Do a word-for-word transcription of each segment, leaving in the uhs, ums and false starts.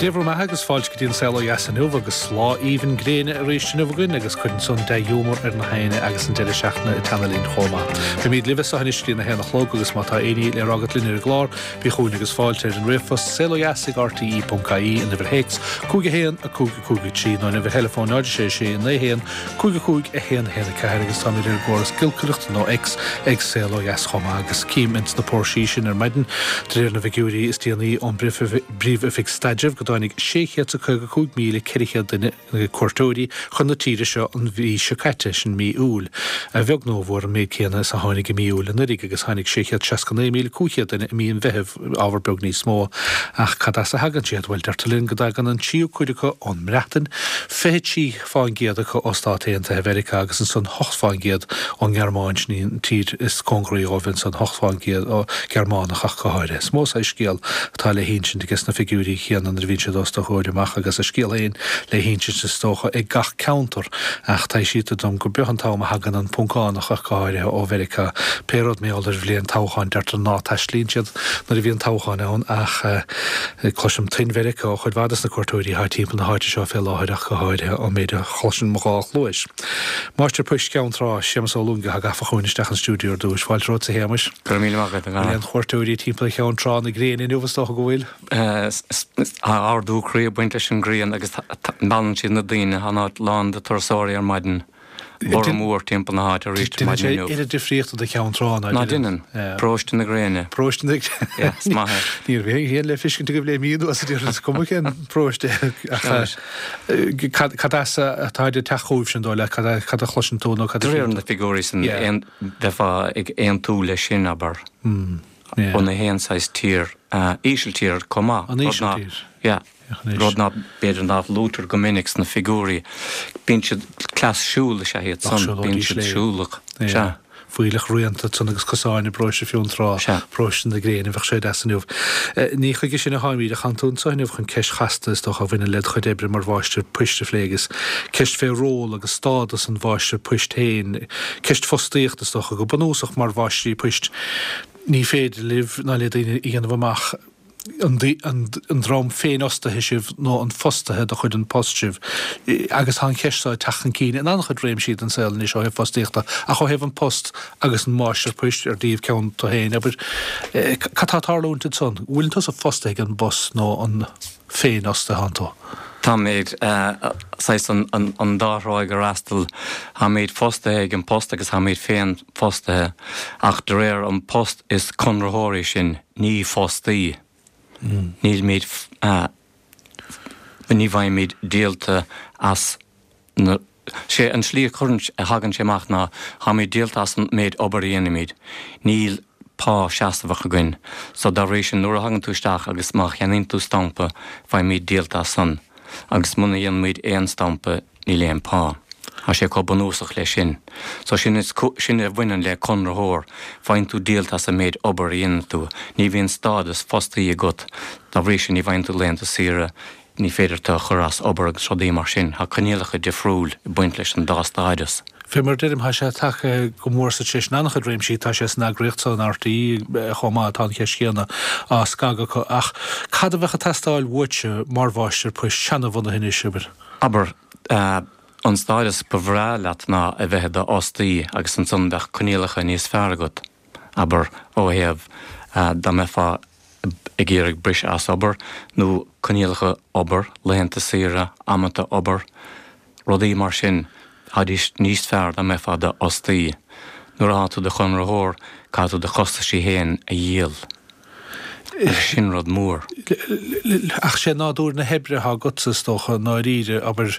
Dia bhur mbeatha agus fáilte go dtí an Saol Ó Dheas inniu agus lá aoibhinn gréine arís inniu againn agus cuireann san dea-ghiúmar ar na héinne agus an deireadh seachtaine ag teannadh linn chomh maith. Beimid libh anseo anois go dtí a haon a chlog agus má tá aon ní le rá agat linn ar an gclár, bí chugainn agus fáilte ar an ríomhphost saolodheas ag rte.ie an uimhir théacs cúig a haon a cúig a cúig a trí nó an uimhir theileafóin náid sé sé naoi haon cúig a cúig a haon a haon a ceathair agus táimid ar an gcóras giolcaireachta nó X ag Saol Ó Dheas chomh maith agus cím ins na póirsí sin ar maidin de réir na bhfigiúirí is déanaí ón bPríomh-Oifig Staidrimh go dtáinig sé chéad is a caoga cúig míle ceithre chéad duine cuairteoirí chun na tíre seo an mhí seo caite, sin mí Iúil. A bheag nó a mhór an méid céanna is a tháinig i mí Iúil anuraidh agus tháinig sé chéad seasca naoi míle cúig chéad duine i mí an Mheithimh, ábhar beag níos mó. Ach cad as a thagann siad? Bhuel, deirtear linn go dtagann an tríú cuid acu ón mBreatain, fiche trí fán gcéad acu ó Stáit Aontaithe Mheiriceá agus ansan hocht fán gcéad ón nGearmáin, sin í an tír is cóngaraí dhóibh ansan, hocht fán gcéad ó Gearmánach ach go háirithe. Is mó saghas scéal atá le hinsint aige sna figiúirí chéanna nuair a bhíonn siad os do chomhair amach agus a scéal féin le hinsint is dócha ag gach ceantar ach taibhsítear dom gur beag an t-am a thagann an Poncánach ach go háirithe ó Mheiriceá. Pé rud mar gheall ar bhliain toghcháin deirtear ná taistlíonn siad nuair a bhíonn toghchán ann ach cloisim tuin Mheiriceá ó chuid mhaith de na cuairteoirí atá timpeall na háite seo fé láthair ach go háirithe an méid a chloiseann mo dhá chluais. Máistir Poist Cheann Trá, Séamus Ó Luain atá gafa chugainn isteach an stiúideo ar dtús. Fáilte romhat a Shéamais. Go raibh míle maith agat, a Dhara. Bhfuil aon chuairteoirí timpeall Cheann Trá na gréine inniu is dócha go bhfuil? Tá ardú croí ag baint leis an ngrian agus meallann siad na daoine. Tá an áit lán de turasóirí ar maidin. Borradh mór timpeall na háite arís ar maidin inniu. Déanann sé oiread difríochta do Cheann Trá ná Ná déanann. Paróiste na gréine. Paróiste na gréine. Is maith é. Ní raibh aon le feiscint agaibh le mí anuas a déarfainn is cuma cén paróiste ach cad as atá ag teacht chugaibh sin dóigh leat, cad a chloiseann tú nó cad a De réir na figiúirí san bheifeá ag aontú leis sin, abair. Ó na haon saghas tír, Ísiltír chomh maith. An Ísiltír. Yeah. Rud ná b'fhéidir nach luaitear go minic sna figiúirí. Bíonn siad, cleas siúil is ea iad san, bíonn siad siúlach. Sea. Fuílleach rianta ansan agus cosáin i bparóiste Fionntrá, paróiste na gréine, bheadh sé deas inniu. Ní chuige sin a tháimid ach tánn tú anso inniu chun ceist chasta is dócha a bhaineann led chuid oibre mar mháistir poist a phlé agus ceist fé ról agus stádas an mháistir poist féin, ceist fostaíochta is dócha go bunúsach mar mháistrí poist. Ní féidir libh ná le daoine a dhéanamh amach an dream féinfhostaithe sibh nó an fostaithe de chuid An Post sibh. Agus tá an cheist seo ag teacht chun cinn in an-chuid réimsí den saol anois ó thaobh fostaíochta, ach ó thaobh An Post agus an máistir poist ar díobh ceann tú féin, abair, cad tá ag tarlúint ansan? An bhfuil tusa fostaithe ag an bPost nó an féinfhostaithe atánn tú? Táimid, saghas an dá thráigh a fhreastal. Táimid fostaithe ag An Post agus táimid féin fostaithe, ach de réir An Post is conraitheoirí sinn, ní fostaí. Nílimid, ní bhfaighimid díolta as na, sé an tslí a chuireann, a thagann sé amach ná táimid díolta as an méid obair a dhéanaimid. Níl pá seasmhach againn. So dá bhrí sin nuair a thagann tú isteach agus má cheannaíonn tú stampa faighimid díolta as san agus muna dhéanaimid aon stampa níl aon pá. Tá sé chomh bunúsach leis sin. So sin is, sin a bhaineann le conraitheoir, faigheann tú díolta as an méid obair a dhéanann tú. Ní bhíonn stádas fostaí agat, dá bhrí sin ní bhfaigheann tú laethanta saoire, ní féidir tú a chur as obair agus rudaí mar sin. Tá coinníollacha difriúil ag baint leis an dá stádas. Fé mar a deirim, tá sé tagtha go mór sa treis in an-chuid réimsí, tá sé san eagraíocht so, in RTÉ chomh maith, tá an cheist chéanna á scagadh acu. Ach cad a bheadh ag teastáil uaitse mar mháistir poist seanabhunaithe anois, abair? Abair, an stádas ba bhreá leat ná a bheith i do fhostaí agus ansan bheadh coinníollacha níos fearr agat, abair, ó thaobh dá mbeifeá ag iarraidh briseadh as obair nó coinníollacha obair, laethanta saoire, amanta obair, rudaí mar sin, tháidís níos fearr dá mbeifeá i do fhostaí. Nuair atá tú i do chonraitheoir, caithfidh tú do chostaisí féin a dhíol. Agus sin rud mór. Ach sé nádúr na hoibre atá agatsa, is dócha, i ndáiríre, abair,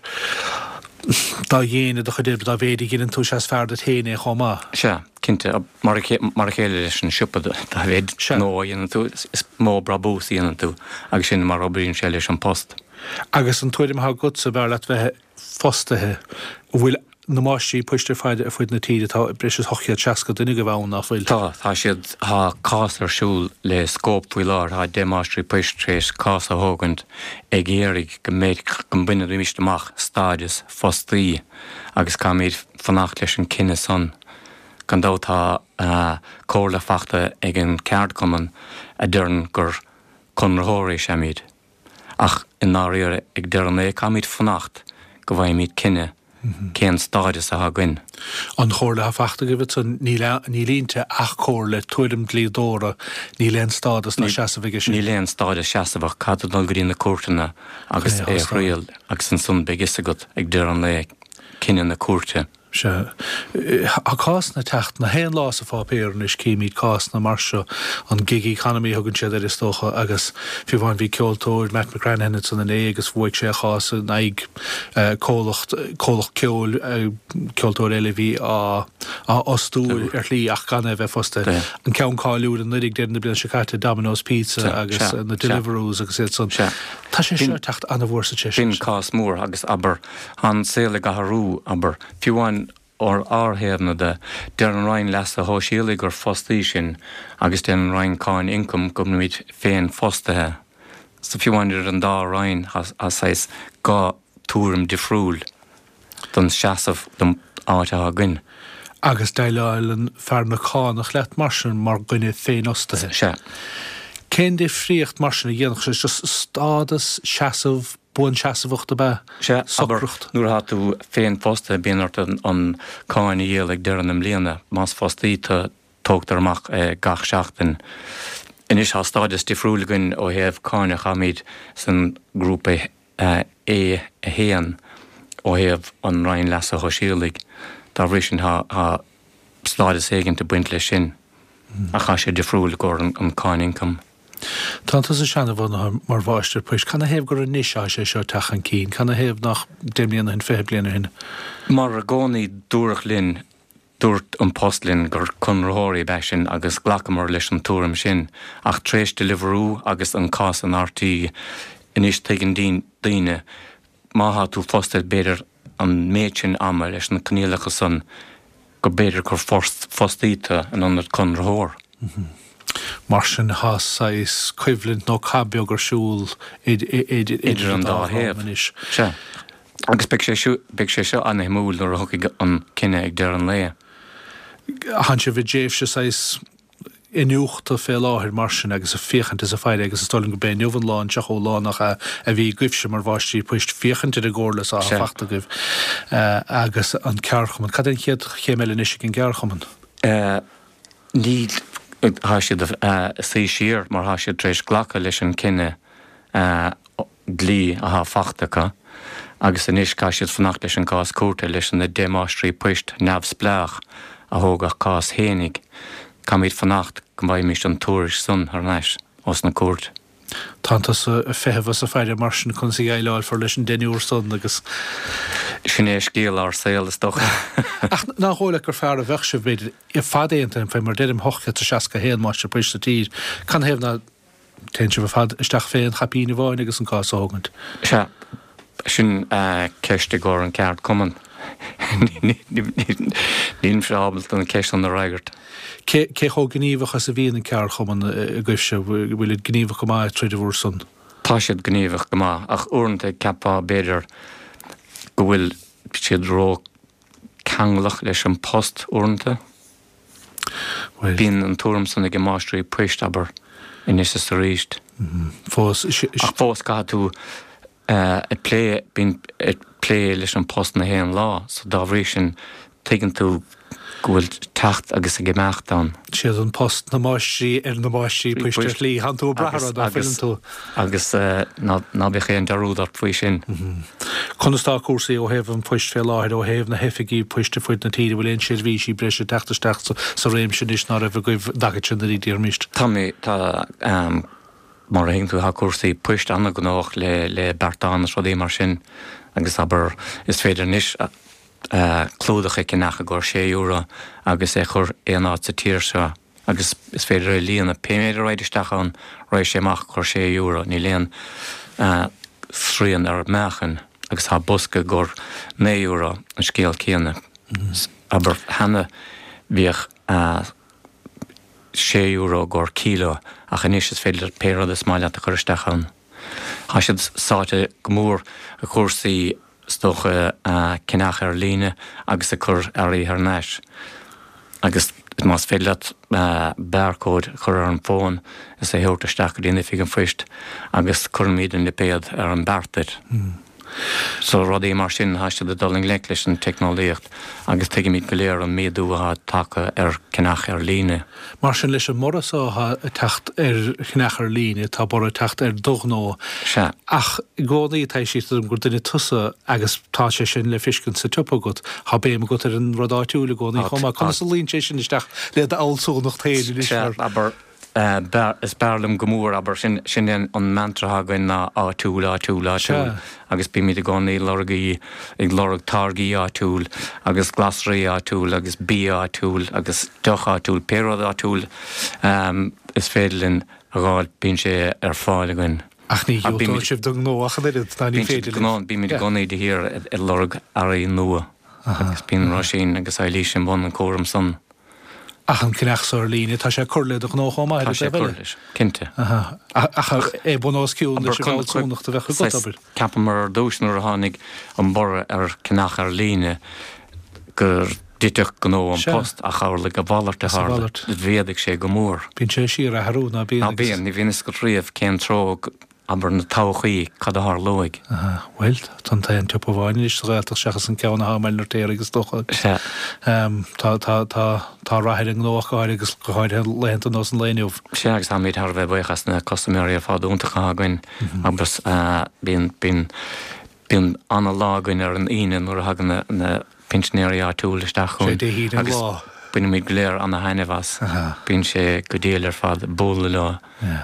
dá dhéine do chuid oibre, dá mhéid a ghineann tú, is ea is fearr duit féin é chomh maith. Sea, cinnte. Mar a chéile leis an siopa, dá mhéid gnó a dhéanann tú, is mó brabús a dhéanann tú, agus sin mar a oibríonn sé leis An Post. Agus an tuairim atá agatsa, b'fhearr leat bheith fostaithe, an bhfuil na máistrí poist ar fad ar fud na tíre, tá breis is ocht gcéad seasca duine agaibh ann, nach bhfuil? Tá, tá siad, tá cás ar siúl le Scóip faoi láthair, tá deich máistrí poist tar éis cás a thógaint ag iarraidh go mbeidh, go mbainfidís amach stádas fostaí agus caithfimid fanacht leis an cinneadh san. Gan dabht tá comhairle fachta ag an ceardchumann a deireann gur conraitheoirí is ea muid. Ach i ndáiríre ag deireadh an lae caithfimid fanacht go bhfaighimid cinneadh cén stádas atá againn. An chomhairle atá faighte agaibh ansan, níl níl inti ach comhairle, tuairim dlíodóra, níl aon stádas ná seasamh aige sin. Níl aon stádas seasamhach, caithfidh tú dul go dtí na cúirteanna agus é a thriail agus ansan beidh fhios agat ag deireadh an lae cinneadh na cúirte. Sea. Tá cásanna ag teacht na haon lá sa pháipéar anois, címid cásanna mar seo, an gig economy a thugann siad air is dócha, agus fiú amháin bhí ceoltóir, Matt McGranahan ansan inné agus bhuaigh sé a chás in aghaidh comhlacht, comhlacht ceoil, ceoltóir eile a bhí á á fhostú ar shlí ach gan é a bheith fostaithe. An ceann cáiliúil anuraidh ag deireadh na bliana seo caite, Domino's Pizza agus na Deliveroos agus iad san. Tá sé seo ag teacht an-mhór sa tréimhse Sin cás mór agus abair, tá an saol ag athrú, abair, fiú amháin ar ár thaobhna de, deir an Roinn Leasa Shóisialaigh gur fostaí sinn agus deir an Roinn Cáin Ioncaim go bhfuilimid féinfhostaithe. So fiú amháin idir an dá roinn tá saghas dhá tuairim difriúil don seasamh, don áit atá againn. Agus déileálann fear na cánach leat mar sin, mar dhuine féinfhostaithe. Sea. Cén difríocht mar sin a dhéanfadh sé? Just stádas, seasamh, buanseasmhacht ab ea? Sea, abair, Socracht. nuair atá tú féinfhostaithe bíonn ort an cáin a dhíol ag deireadh na mbliana. Más fostaí tú, tógtar amach é gach seachtain. Anois tá stádas difriúil againn ó thaobh cánach, táimid san grúpa A a haon ó thaobh an Roinn Leasa Shóisialaigh. Dá bhrí sin tá stádas éigint ag baint leis sin ach tá sé difriúil i gcomhair an cáin ioncaim. Tá tusa seanbhunaithe mar mháistir poist. Cad 'na thaobh gur anois atá sé seo ag teacht chun cinn? Cad 'na thaobh nach deich mbliana ó shin, fiche bliain ó shin? Mar i gcónaí dúradh linn, dúirt An Post linn gur conraitheoirí ab ea sinn agus ghlacamar leis an tuairim sin. Ach tar éis Deliveroo agus an cás in RTÉ, anois tuigeann daoine, má thá tú fostaithe b'fhéidir an méid sin ama leis na coinníollacha san, go b'fhéidir gur fostaí tú in ionad conraitheoir. Mar sin thá saghas coimhlint nó cath beag ar siúl idir an dá thaobh anois. Sea. Agus beidh sé seo, beidh sé seo an-shuimiúil nuair a thiocfaidh an cinneadh ag deireadh an lae. Thánn sibh i dtréimhse saghas iniúchta fé láthair mar sin agus ag féachaint is ag faire agus is dóigh liom go b'é inniu an lá, an tríochadú lá nach ea, a bhí agaibhse mar mháistrí poist féachaint ar an gcomhairle so atá fachta agaibh agus an ceardchumann. Cad é an chéad chéim eile anois ag an gceardchumann? Níl, tá siad ag suí siar mar tá siad tar éis glacadh leis an cinneadh dlí atá fachta acu agus anois caithfidh siad fanacht leis an gcás cúirte leis na deich máistrí poist neamhspleách a thóg a gcás fhéinig. Caithfimid fanacht go bhfaighimid an tuairisc san thar n-ais ós na cúirt. Tánn tusa ag feitheamh is ag faire mar sin conas a dhéileálfar leis an deichniúr san agus. Sin é scéal ár saol is dócha. Ach nach dóigh leat gur fearr a bheadh sibh, b'fhéidir, ar fad aontaithe, fé mar deirim, ocht gcéad is seasca a haon máistir poist sa tír, canathaobh ná téann sibh ar fad isteach fén chaipín amháin agus an cás a thógaint? Sea, sin ceist i gcomhair an ceardchumann. Nílimse ábalta an ceist san a fhreagairt. Cé cé chomh gníomhach is a bhíonn an ceardchumann agaibhse? Bhfuil siad gníomhach go maith ag troid bhur son? Tá siad gníomhach go maith, ach uaireanta ceapfá b'fhéidir go bhfuil siad ró-ceanglach leis an post uaireanta. Bhuel. Bíonn an tuairim san ag máistrí poist, abair, anois is arís. Fós. Ach fós caithfidh tú ag plé, bíonn ag plé leis an post na haon lá, so dá bhrí sin tuigeann tú go bhfuil teacht agus ag imeacht ann. Siad an post na máistrí ar na máistrí poist ar shlí. Thánn tú ag brath orthu, ná fuileann tú? Agus ná bíodh aon dearúd ort faoi sin. Conas tá cúrsaí ó thaobh an phoist fé láthair, ó thaobh na hoifigí poist ar fuid na tíre, bhfuil aon seirbhísí breise ag teacht isteach sa réimse anois ná raibh agaibh an dtaca sin anuraidh, déarfaimíst? Tá mé, tá, mar a thuigeann tú, tá cúrsaí poist an-ghnóthach le le beartáin is rudaí mar sin agus abair, is féidir anois clúdach a cheannach i gcomhair sé euro agus é a chur aon áit sa tír seo agus is féidir é a líonadh. Pé méid a raghaidh isteach ann, raghaidh sé amach i gcomhair sé euro, níl aon srian ar meáchan agus tá bosca i gcomhair naoi euro, an scéal céanna. Abair, cheana bhíodh sé euro i gcomhair kilo ach anois is féidir leat pé rud is maith leat a chur isteach ann. Tá siad sáite go mór i gcúrsaí is dócha, ceannach ar líne agus ag cur earraí thar n-ais agus Más féidir leat barcode a chur ar an bhfón is é a thabhairt isteach go dtí an oifig an phoist agus cuirimid an lipéad ar an beart duit. So rudaí mar sin tá siad ag dul i ngleic leis an teicneolaíocht agus tuigimid go léir an méadú atá tagtha ar cheannach ar líne. Mar sin leis an mborradh so atá ag teacht ar cheannach ar líne, tá borradh ag teacht ar do ghnó. Sea. Ach i gcónaí tá sé dom gur duine tusa agus tá sé sin le feiscint sa tsiopa agat, tá béim agat ar an rud áitiúil i gcónaí chomh maith. Conas a luíonn sé sin isteach le d'fhealsúnacht féin anois mar. Sea, abair, is fearr liom go mór, abair, sin, sin é an mantra atá againn ná áitiúil, áitiúil, áitiúil agus bímid i gcónaí lorg, ag lorg táirgí áitiúil agus glasraí áitiúil agus bia áitiúil agus deoch áitiúil, pé rud áitiúil is féidir linn a dh'fháil bíonn sé ar fáil againn. Ach ní dhiúltóidh sibh don ghnó ach an oiread, ná ní féidir libh. Bímid i gcónaí de shíor ag lorg earraí nua agus bíonn Róisín agus Eilís i mbun an chúraim san. Ach an ceannach so ar líne, tá sé ag cur le do ghnó chomh maith, Tá sé ag cur leis, cinnte. Ach é bun os cionn leis an bhfealsúnacht a bheadh agat, abair. Cheapamar ar dtús nuair a tháinig an borradh ar cheannach ar líne go dtitfeadh gnó An Post ach tharla a mhalairt a tharla. Mhéadaigh sé go mór. Bíonn sé ag síorathrú, ná bíonn? Ná bíonn, ní bhíonn fhios agat riamh cén treo Abair na todhchaí, cad a tharlóidh? Aha, bhuel, tá an t-aon tsiopa amháin anois sa Ghaeltacht seachas an ceann atá i mBaile an Fheirtéaraigh is dócha. Sea. Tá, tá, tá, tá rath ar an ngnó ach go háirithe agus go háirithe laethanta ar nós an lae inniu. Sea, agus táimid thar a bheith buíoch as na custaiméirí ar fad iontacha atá againn agus bíonn, bíonn, bíonn ana-lá againn ar an Aoine nuair a thagann na, na pinsinéirí áitiúil isteach chugainn. Sé Dé hAoine an agus lá. Bainimid go léir ana-thaitneamh as. Bíonn sé go diail ar fad bualadh leo.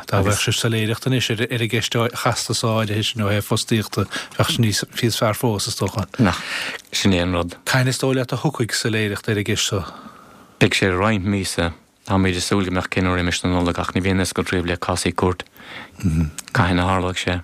Dá mbeadh sibh soiléireacht anois ar an gceist chasta so áirithe sin ó thaobh fostaíochta, bheadh sé níos níos fearr fós, is dócha. Nach sin é an rud. Cathain is dóigh leat a thiocfaidh soiléireacht ar an gceist so? Beidh sé roinnt míosa. Táimid ag súil go mbeadh cinneadh roimis na Nollag ach ní bhíonn fhios agat riamh le cásaí cúirt cathain a tharlóidh sé.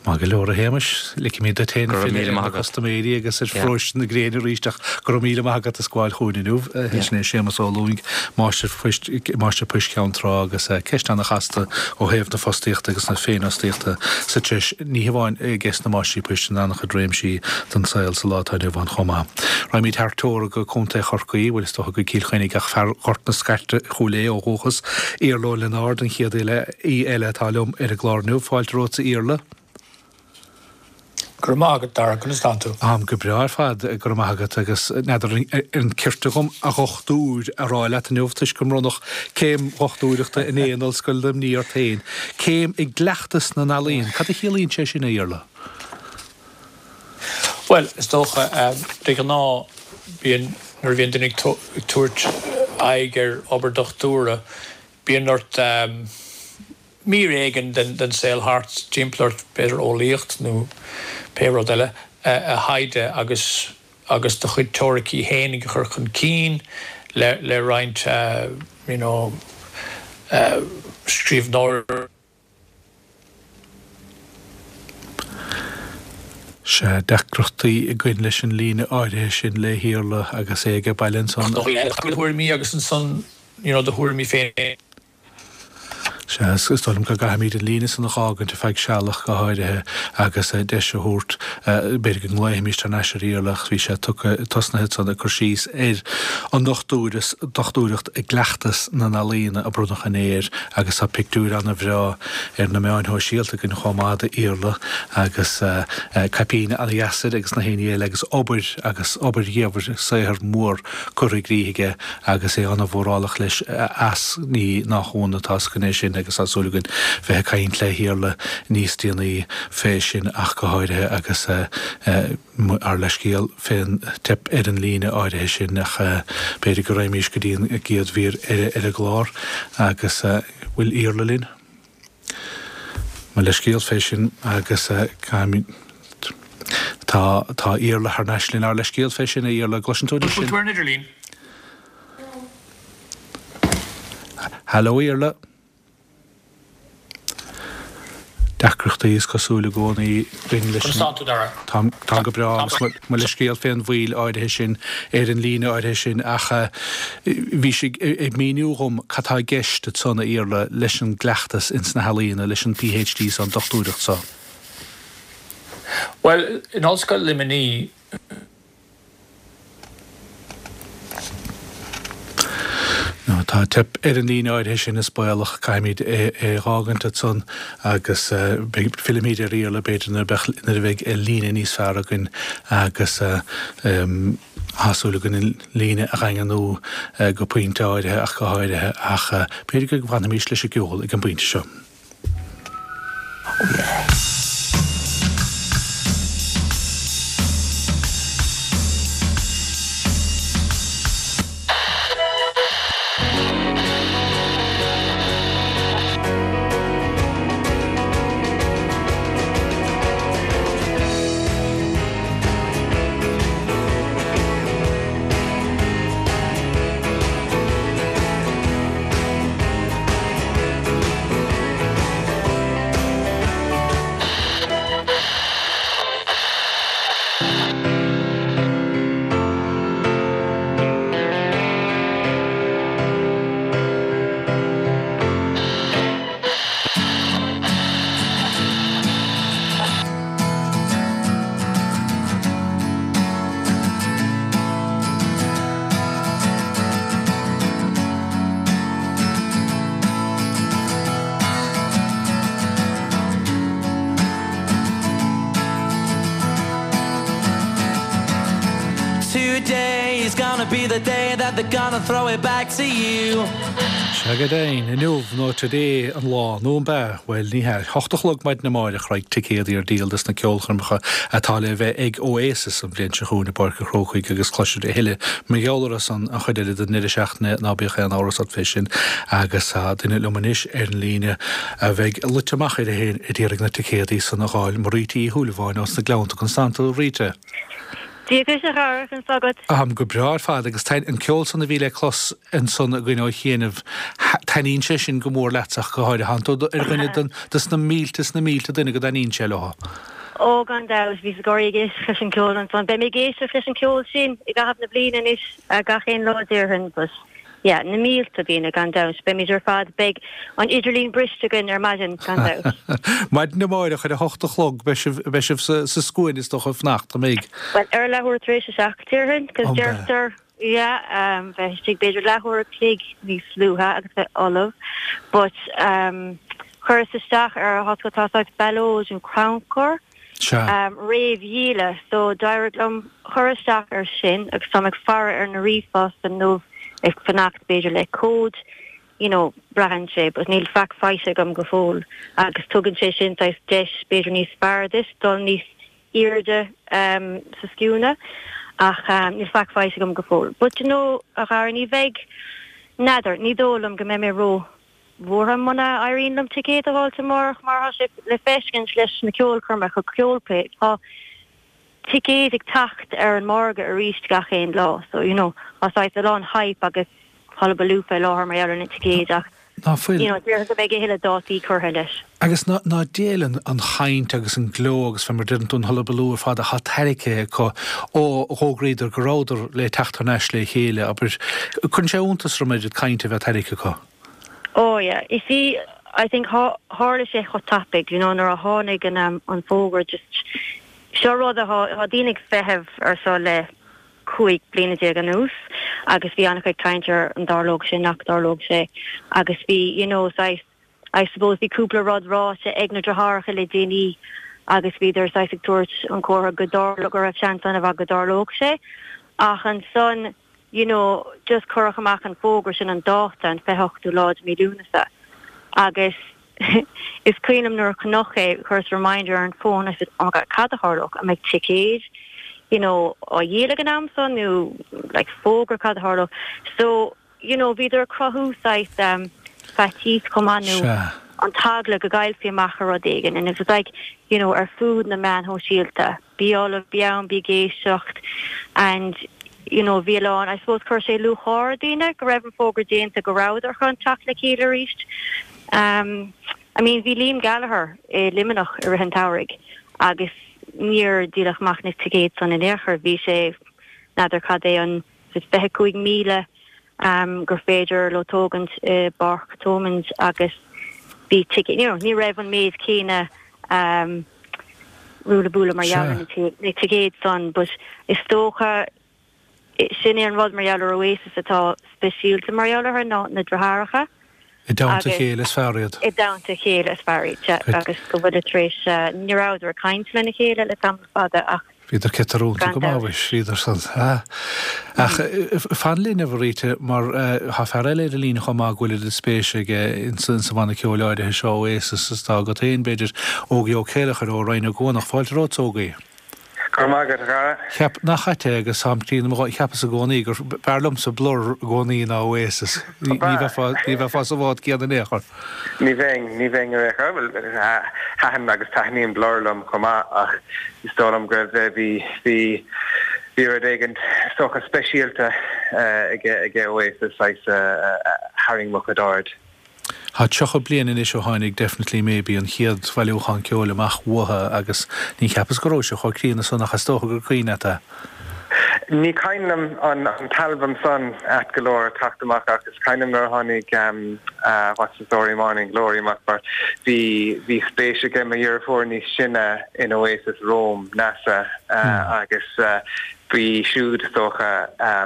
Maith go leor, a Shéamais. Ligfimid duit féin Go raibh filleadh míle ar na maith agat. custaiméirí agus ar Yeah. pharóiste na gréine arís ach go raibh míle maith agat as gabháil chugainn inniu. Yeah. Sin é Séamas Ó Lúing, Máistir Poist, Máistir Poist Cheann Trá agus ceist ana-chasta ó thaobh na fostaíochta agus na féinfhostaíochta sa treis, ní hamháin i gceist na máistrí poist in an-chuid réimsí den saol sa lá atá inniu ann chomh maith. Raghaimid thar teorainn go Contae Chorcaí, bhuel is dócha go Cill Chainnigh ach fear Ghort na Scairte, Chúil Aodha ó dhúchas, Iarla Ó Lionáird an chéad aoi eile atá liom ar an gclár inniu. Fáilte romhatsa Iarla. Go raibh maith agat, Dara, conas tánn tú? Táim go breá ar fad, go raibh maith agat, agus n'fheadar an cirte dhom a dhochtúir a rá leat inniu toisc go mbronnadh céim dhochtúireachta inné in Ollscoil Luimnigh ort féin. Céim i gcleachtas na n-ealaíon, cad a chiallaíonn sé sin, a Iarla? Bhuel, is dócha, de ghnáth, bíonn, nuair a bhíonn duine ag tabhairt aghaidh ar obair dochtúra, bíonn ort mír éigin den saol thart timpeall ort, b'fhéidir eolaíocht nó pé rud eile, a thaighde agus agus do chuid teoiricí fhéinig a chur chun cinn le le roinnt you know scríbhneoireachta. Sea, deacrachtaí againn leis an líne áirithe sin le hIarla agus é age baile ansan. Thuairimí agus ansan you know do thuairimí féin. Sea, is dóigh liom go gcaithfimid an líne san a dh'fhágaint ar feadh sealach go háirithe agus deis a thabhairt, b'fhéidir go nglaofaimís thar n-ais ar Iarla ach bhí sé tugtha, tosnaithe ansan ag cur síos ar an ndochtúireas, dochtúireacht i gcleachtas na n-ealaíona a bronnadh inné air agus tá pictiúir ana-bhreá ar na meáin shóisialta againn chomh maith d'Iarla agus caipín ana-dheas air agus na héinní eile agus obair agus obair dhiamhair, saothar mór curtha i gcrích aige agus é ana-mhórálach leis as, ní nach ionadh tá 's againn é sin agus tá súil againn bheith ag caint le hIarla níos déanaí fé sin ach go háirithe agus ár leithscéal fén teip ar an líne áirithe sin ach b'fhéidir go raghaimís go dtí an gcéad mhír eile ar an gclár agus bhfuil Iarla linn? Mo leithscéal fé sin agus caithfimid Tá tá Iarla thar n-ais linn. Ár leithscéal fé sin, a Iarla. Gcloiseann tú anois Bhfuil sinn? tú ar an idirlíon? Hello, Iarla. Deacrachtaí is cosúil i gcónaí againn leis Conas an tánn tú, Dara? Táim táim go breá Tá agus mo mo leithscéal fén mhoill áirithe sin ar an líne áirithe sin ach bhí sé ag míniú dhom cad tá i gceist ansan, a Iarla, leis an gcleachtas ins na healaíona, leis an PhD so, an dochtúireacht so. Bhuel, in Ollscoil Luimnigh, Tá teip ar an líne áirithe sin is baolach, caithfimid é a dh'fhágaint ansan agus fillfimid ar Iarla b'fhéidir nuair a bheidh líne níos fearr againn agus tá súil againn an líne a dhaingniú go pointe áirithe ach go háirithe ach b'fhéidir go bhfanfaimis leis an gceol ag an bpointe seo. Oh yeah. Be the day that they're gonna throw it back to you. Sea go deimhin, inniu nó today an lá, nó an b'ea? Bhuel, ní hea. Hocht a chlog maidin amárach raghaidh ticéadaí ar díol dos na ceolchoirmeacha atá le bheith ag Oasis an bhliain seo chugainn i bPáirc an Chrócaigh agus cloisfir a thuilleadh mar gheall orthu san an chuid eile den ndeireadh seachtaine, ná bíodh aon amhras ort fé sin. Agus tá duine liom anois ar an líne a bheidh luite amach uirthi féin a d'iarraidh na ticéadaí san a dh'fháil, Marita Uí Shúilleabháin ós na Gleannta. Conas tánn tú, a Rita? Dia duit a Dhara, conas tá agat? Táim go breá ar fad agus an ceol san a bhí le clos ansan againn ó chianaibh, taitníonn sé sin go mór leatsa ach go háirithe. Tánn tú ar dhuine den dos na mílte is na mílte duine go dtaitníonn sé leo. Ó gan dabht, bhíos ag gáirí ag éisteacht leis an gceol ansan. Beidh mé ag éisteacht leis an gceol sin i gcaitheamh na bliana anois, gach aon lá déarfainn, but yeah, na mílte daoine gan dabht. Beimid ar fad, beidh an idirlíon briste againn ar maidin gan dabht. Maidin amárach ar a hocht a chlog beidh sibh, beidh sibh sa, sa scuaine is dócha ag fanacht, an mbeidh? Bhuel, ar leathuair tar éis a seacht déarfainn, cos deirtear, yeah, um, bheith istigh b'fhéidir leathuair a chloig níos luaithe agus bheith ullamh, but um, chuireas isteach ar a hocht tá saghas ballóid nó crannchur, Sea. réamhdhíola so d'éirigh liom cur isteach air sin agus táim ag faire ar na ríomhphost inniu ag fanacht b'fhéidir le cód you know braitheann sé but níl faic faighte agam go fóill agus tugann sé sin saghas deis b'fhéidir níos fearr duit dul níos airde um, sa scuaine ach um, níl faic faighte agam go fóill. But you know a Dhara ní bheidh n'fheadar ní dóigh liom go mbeidh mé ró bhuartha muna éiríonn liom ticéad a fháilt amárach mar tá sé le feiscint leis na ceolchoirmeacha Coldplay tá ticéid ag teacht ar an margadh arís gach aon lá so you know tá saghas a lán hype agus hullabaloo fé láthair mar gheall ar na ticéid ach Ná fuil. you know déarfainn go mbeidh a thuilleadh dátaí curtha leis. Agus ná ná diail an an chaint agus an gleo agus fé mar deireann tú an hullabaloo ar fad atá tarraicthe acu ó dh'fhógraíodar go rabhadar le teacht thar n-ais le chéile, abair. Cuireann sé iontas orm oiread cainte a bheith tarraicthe acu. Oh yeah, you see, I think tharla sé chomh tapaidh, you know, nuair a tháinig an um, an fógra just seo rud a thá daoine ag feitheamh ar seo le cúig bliana déag anuas agus bhí an-chuid caint ar an dtarlódh sé nach dtarlódh sé agus bhí you know saghas I suppose bhí cúpla rud ráite ag na deartháireacha le déanaí agus bhíodar saghas ag tabhairt an comhartha go dtarlódh go raibh seans an-mhaith go dtarlódh sé ach ansan you know, just cuireadh amach an fógra sin an dáta an fiche hochtú lá de mí Lúnasa agus is cuimhin liom nuair a chonac é chuireas reminder ar an fón I said oh my God cad a tharlódh an mbeidh ticéid you know á dhíol ag an am san nó like fógra cad a tharlódh so you know bhíodar ag cruthú saghas um, faitíos chomh maith nó Sea. an t-eagla go gcaillfí amach ar rud éigin and it was like you know ar fud na meáin shóisialta bí ullamh bí ann bí ag éisteacht and you know bhí a lán I suppose chuir sé lúcháir ar daoine go raibh an fógra déanta go rabhadar chun teacht le chéile arís um I mean bhí Liam Gallagher i Luimneach i rith an tsamhraidh agus níor díoladh amach na ticéid san in aon chor bhí sé n'fheadar cad é an fiche cúig míle um, gur féidir leo tógaint i bPáirc Thomond agus bhí ticket, you know, ní raibh an méid céanna um, ruaille buaille mar gheall ar na ticéid san, but is dócha Sin é an rud mar gheall ar Oasis atá speisialta mar gheall orthu ná na deartháireacha. I dteannta a chéile is fearr iad. I dteannta a chéile is fearr iad, sea, agus go bhfuil tar éis, ní rabhadar ag caint lena chéile le tamall fada ach Bhíodar ciotrúnta gan go maith, dabht. mhuis, bhíodar san. Ach fan linn, a Mharita, mar tá fear eile ar an líne chomh maith go bhfuil oiread spéise aige insa bhanna ceoil áirithe seo, Oasis, is atá agat féin, b'fhéidir, Ógie Ó Céileachair ó Rinn Ó gCuanach. Fáilte romhat, Ógie. Go raibh maith agat, a Dhara. Cheap, nach ait é agus táim críonna mo dhóthain, cheapas i gcónaí gur b'fhearr liomsa Blur i gcónaí ná Oasis. Ní bheifeá, ní bheifeá sa bhád céanna in aon chor. Ní bheinn, ní bheinn ar aon chor. Bhuel, thaitin agus taitníonn Blur liom chomh maith ach is dóigh liom go raibh, bhí, bhí, bhí rud éigin is dócha speisialta aige, aige Oasis saghas a tharraing mo chuid aird. Tá tríocha bliain anois ó tháinig Definitely Maybe, an chéad bhailiúchán ceoil amach uathu agus ní cheapas go raibh sé chomh críonna san ach is dócha gur cuimhin leat é. Ní cuimhin liom an t-albam san ait go leor ag teacht amach ach is cuimhin liom nuair a tháinig What's the Story Morning Glory amach mar bhí bhí spéis aige mo dheirfiúr níos sine in Oasis romham, Neasa, agus B'í siúd, is dócha, a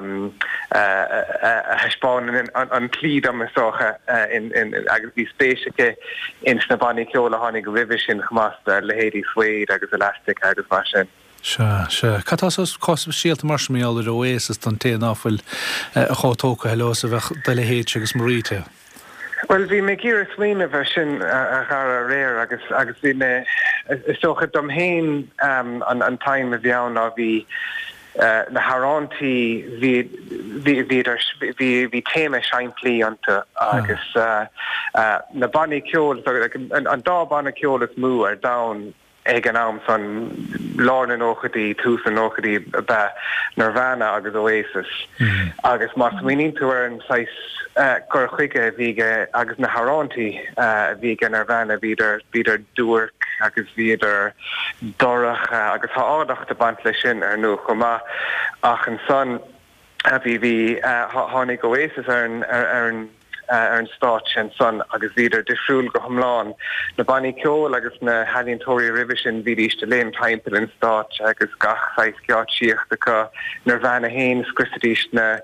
thaispeáin an tslí dom, is dócha, agus bhí spéis aici ins na bannaí ceoil a tháinig roimhe sin chomh maith, leithéidí Suede agus Elastica agus mar sin. Sea, sea. Cad tá chomh speisialta mar sin mar gheall ar Oasis don té ná fuil chomh tógtha leo is a bheadh do leithéidse agus Marita? Bhuel, bhí mé ag iarraidh smaoineamh air sin, a Dhara, aréir agus agus bhí mé, is dócha dom féin an an time a bhí ann ná bhí na hamhráintí, bhí bhí bhíodar bhí bhí téama simplí iontu agus na bannaí ceoil, an dá banna ceoil is mó ar domhan, Ag an am san, lár na nóchaidí, tús na nóchaidí, ab ea Nirvana agus Oasis. Agus má smaoiníonn tú ar an saghas cur chuige a bhí aige agus na hamhráintí a bhí aige Nirvana, bhíodar, bhíodar duairc agus bhíodar dorcha agus tá áilleacht ag baint leis sin, ar ndóigh, chomh maith. Ach ansan, bhí, bhí, tháinig Oasis ar an, ar an, ar an stáitse ansan agus bhíodar difriúil go hiomlán. Na bannaí ceoil agus na healaíontóirí roimhe sin bhídís ag léim timpeall an stáitse agus gach saghas geáitsíocht acu. Nirvana fhéin scriosaidís na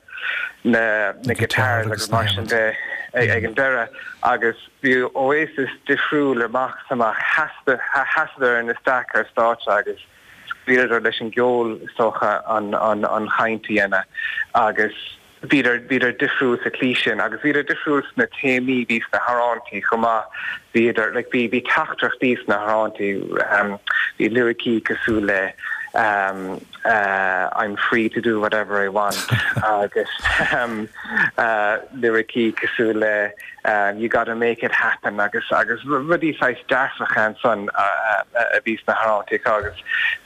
na na guitars agus mar sin de ag an deireadh agus bhí Oasis difriúil amach is amach. Sheasadar ina staic ar stáitse agus scaoileadar leis an gceol is dócha an an chaint a dhéanamh agus Bhíodar, bhíodar difriúil sa tslí sin agus bhíodar difriúil sna téamaí a bhí sna hamhráintí chomh maith. Bhíodar, like, bhí, bhí teachtaireachtaí sna hamhráintí, bhí liricí cosúil le I'm free to do whatever I want agus liricí cosúil le you gotta make it happen agus, agus rudaí saghas dearfacha ansan a bhí sna hamhráintí acu agus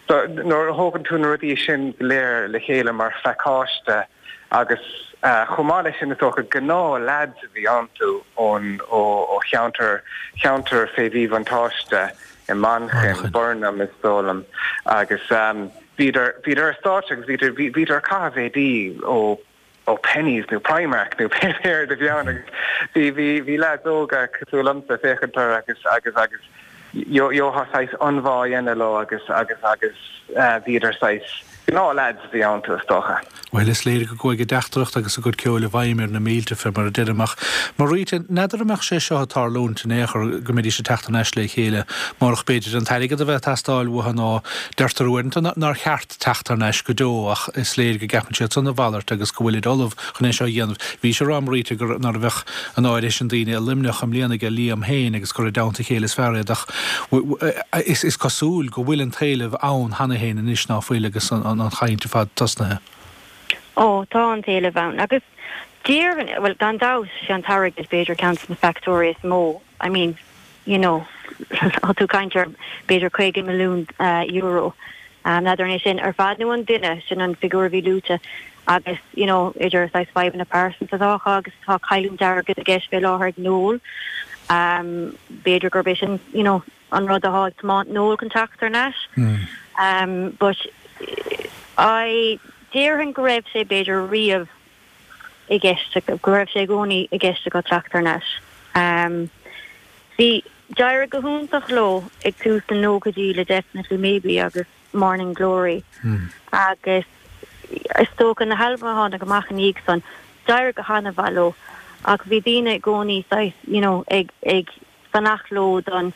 so nuair a thógann tú na rudaí sin go léir le chéile mar phacáiste, Agus chomh maith leis sin, is dócha, gnáth leaids a bhí iontu ón, ó cheantar, cheantar fé mhíbhuntáiste i Manchain, Burnham is dóigh liom, agus bhíodar, bhíodar ar stáitse agus bhíodar, bhíodar ag caitheamh éadaí ó, ó Penneys nó Primark nó pé céard a bhí ann agus bhí, bhí, bhí leaids óga cosúil liomsa ag féachaint orthu agus, agus, agus gheofá saghas ionbhá a dhéanamh leo agus, agus, agus bhíodar saghas, Gnáth leaids a bhí iontu, is dócha. Bhuel, is léir go gcuaigh a dteachtaireacht agus a gcuid ceoil i bhfeidhm ar na mílte, fé mar a deirim. Ach, Marita, n'fheadar an mbeadh sé seo ag tarlúint in aon chor, go mbeidís ag teacht thar n-ais le chéile, murach, b'fhéidir, an t-airgead a bheith ag teastáil uathu nó deirtear uaireanta nár cheart teacht thar n-ais go deo ach is léir go gceapann siad san a mhalairt agus go bhfuilid ullamh chun é seo a dhéanamh. Bhís ag rá, Marita, gur nárbh bheadh an áirithe sin daoine i Luimneach i mbliana aige Liam féin agus gur i dteannta a chéile is fearr iad ach is cosúil go bhfuil an t-éileamh ann cheana féin anois ná fuil agus an chaint ar fad tosnaithe. Ó, tá an t-éileamh ann agus déarfainn, bhuel, gan dabht, sé an t-airgead b'fhéidir ceann de na factóirí is mó. I mean, you know, tá tú ag caint ar b'fhéidir caoga milliún euro. N'fheadar an é sin ar fad nó an duine, sin an figiúr a bhí luaite agus, you know, idir saghas fadhbanna pearsanta atá acu agus tá cailliúint airgid i gceist fé láthair ag Noel. B'fhéidir gurb é sin, you know, an rud atá ag tiomáint Noel chun teacht thar n-ais. But I, déarfainn go raibh sé b'fhéidir riamh i gceist, go raibh sé i gcónaí i gceist acu teacht thar n-ais. Bhí, d'éirigh go hiontach leo ag tús na nóchaidí le Definitely Maybe agus Morning Glory agus is dócha na halbaim a tháinig amach ina dhiaidh san, d'éirigh go han-mhaith leo ach bhí daoine i gcónaí saghas you know ag ag fanacht leo don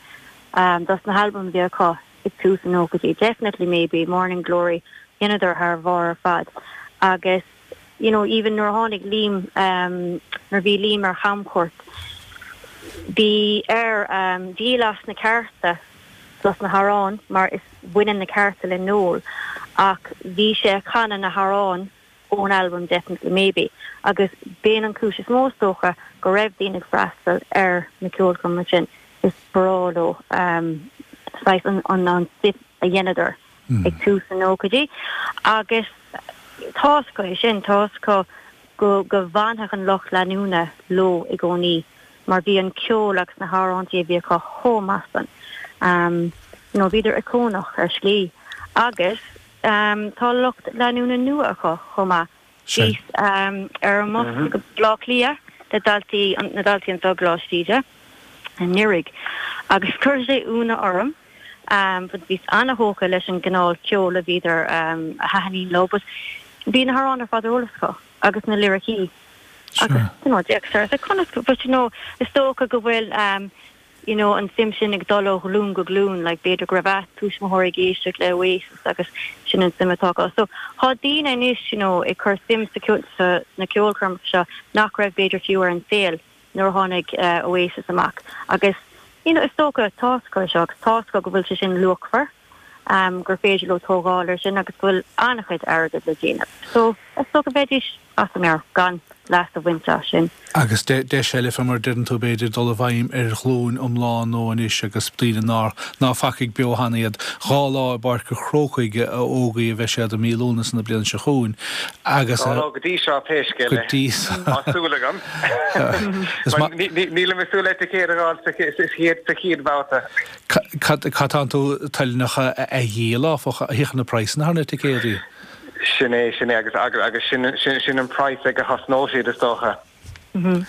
um dos na halbaim a bhí acu ag tús na nóchaidí. Definitely Maybe, Morning Glory, dheineadar thar bharr ar fad agus you know even nuair a tháinig Liam um nuair a bhí Liam ar chamchuairt bhí air um díol as na cearta dos na hamhráin mar is baineann na cearta le Noel ach bhí sé ag canadh na hamhráin ón albam Definitely Maybe agus b'in an cúis is mó is dócha go raibh daoine ag freastal ar na ceolchoirmeacha sin, is breá leo um saghas an an an stuif a dheineadar ag tús na nóchaidí agus tá's acu é sin, tá's acu go go bhfanfadh an lucht leanúna leo i gcónaí mar bhí an ceol agus na hamhráintí a bhí acu chomh maith san. Um you know bhíodar iocónach ar shlí agus um tá lucht leanúna nua acu chomh maith. Bhíos um ar an mbus go Baile Átha Cliath le daltaí na daltaí anseo i gColáiste Íde anuraidh agus chuir sé ionadh orm um but bhíos an-thógtha leis an gcineál ceoil a bhíodar um a thaitníonn leo but bhí na hamhráin ar fad ar eolas acu agus na liricí agus you know d'fhéachas orthu conas but you know is dócha go bhfuil um you know an suim sin ag dul ó ghlúin go glúin like b'fhéidir go raibh a tuismitheoirí ag éisteacht le Oasis agus sin an suim atá acu. So tá daoine anois you know ag cur suim sa sa na ceolchoirmeacha seo nach raibh b'fhéidir fiú ar an saol nuair a tháinig uh, Oasis amach agus you know is dócha tá's acu seo agus tá's acu go bhfuil sé sin luachmhar um, gur féidir leo tógáil ar sin agus go bhfuil an-chuid airgead le déanamh. So is dócha bheidís as a meabhair gan leas a bhaint as sin. Agus deis eile fé mar deireann tú b'fhéidir dul i bhfeidhm ar ghlúin iomlán nua anois agus daoine nár ná facaigh beo cheana iad dhá lá i bPáirc an Chrócaigh a fhógraíodh a bheidh siad i mí Lúnasa na bliana seo chugainn agus Dhá lá go dtí seo pé scéal go é. dtí Tá súil agam. Is ma- Níl mé súil le ticéad a fháil sa chéad sa chéad bhabhta. Cad tá tú toilteanach a dhíol áfach a thiocfaidh na praghsanna thar na ticéadaí? Sin é sin é agus agus agus sin sin sin an price ag a thosnóidh siad is dócha.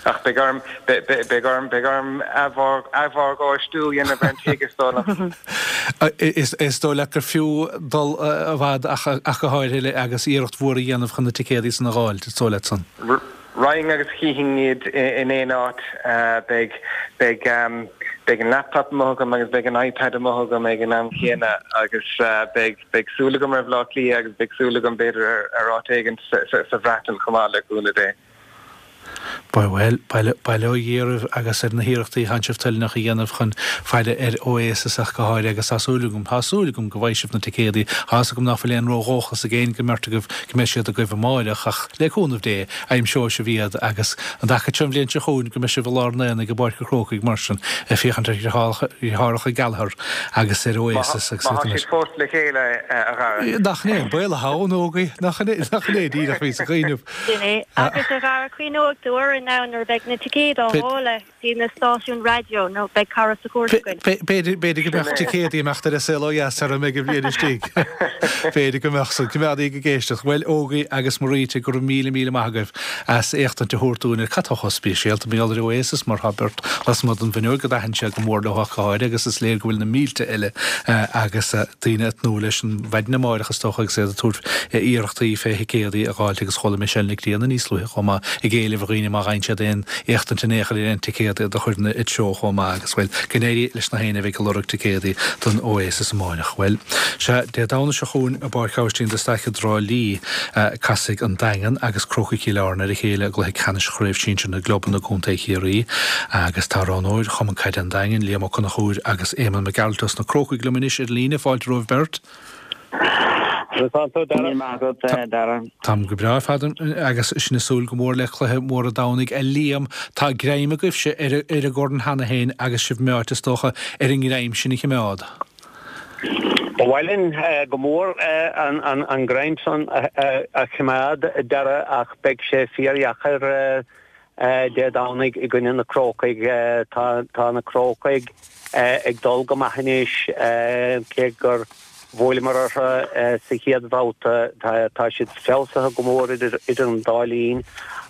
Ach beidh orm beidh orm beidh orm athmhorgáistiú a dhéanamh ar an tigh is dóigh liom. Is is dóigh leat gur fiú dul i bhfad ach ach go háirithe agus iarracht mhór a dhéanamh chun na ticéadaí san a fháil, is dóigh leat san. Raghainn agus chífinn iad in aon áit beidh beidh beidh an laptop amuigh agam agus beidh an iPad amuigh agam ag an am chéanna agus beidh beidh súil agam ar Bhaile Átha Cliath agus beidh súil agam b'fhéidir ar ar áit éigin sa Bhreatain chomh maith le cúnamh Dé. Bhuel, bail ó Dhia oraibh agus ar na hiarrachtaí atánn sibh toilteanach a dhéanamh chun faire ar Oasis ach go háirithe agus tá súil agam, tá súil agam go bhfaighidh sibh na ticéadaí. Tá fhios agam nach bhfuil aon ródhóchas ag aon den mbeirt agaibh go mbeidh siad agaibh amáireach ach le cúnamh Dé, aimseoidh sibh iad agus an dtaca seo an bhliain seo chugainn go mbeidh sibh i lár an aonaigh i bPáirc an Chrócaigh mar sin ag féachaint ar dheartháireacha Gallagher agus ar Oasis agus Má tá siad fós le chéile a Dhara. Nach é baol ann ógaí nach nach é díreach bhí sa chuimhneamh. Sin é agus a Dhara cuimhneoidh tú orainn now nuair a bheidh na ticéid á fháil ag na stáisiúin raidió nó beidh cara sa chúirt againn. B'fhéidir b'fhéidir go mbeadh ticéadaí amach ar a saol ó dheas ar an mbeidh an bhliain istigh. B'fhéidir go mbeadh san coimeádaí go géisteach. Bhuel Ógaí agus Maríte go raibh míle míle maith agaibh as éachtaint a thabhairt dúinn ar cad tá chomh speisialta mar gheall ar Oasis mar tá beirt lasmuigh den bhfuinneog a d'aithin sé go mór leo ach go háirithe agus is léir go bhfuil na mílte eile agus daoine ag tnúth leis an mhaidin amárach is dócha agus iad ag tabhairt iarrachtaí fé thicéadaí a fháilt agus chuala Michelle Nic Grianna níos luaithe chomh maith ag éileamh ar dhaoine má fhaigheann siad aon éachtaint in aon chor ar aon ticéad a chur ina dtreo chomh maith agus bhuel go n-éirí leis na héinne a bheidh ag lorg ticéadaí don Oasis amárach. Bhuel, sea, Dé Domhnaigh seo chugainn i bPáirc Aibhistín de Staic i dTrá Lí, casfaidh an Daingean agus Crócaigh Chill Airne ar a chéile i gcluiche ceannais Chraobh Shinsir na gClubanna i gContae Chiarraí agus tá roghnóir Chumann Caide an Daingin, Liam Ó Conchúir agus Éamonn Mac Gearailt os na Crócaigh liom anois ar líne. Fáilte romhaibh beirt. Táim go breá ar fad agus sinn ag súil go mór le cluiche mór an Domhnaigh. A Liam, tá greim agaibhse ar ar an gcorn cheana féin agus sibh meáite is dócha ar an ngreim sin a choimeád. Ba mhaith linn go mór an greim san a choimeád, a Dhara, ach beidh sé fíordheacair Dé Domhnaigh i gcoinne na Crócaigh. Tá na Crócaigh ag dul go maith anois, cé gur bhuaileamar orthu sa chéad bhabhta. Tá siad feabhsaithe go mór idir an dá linn,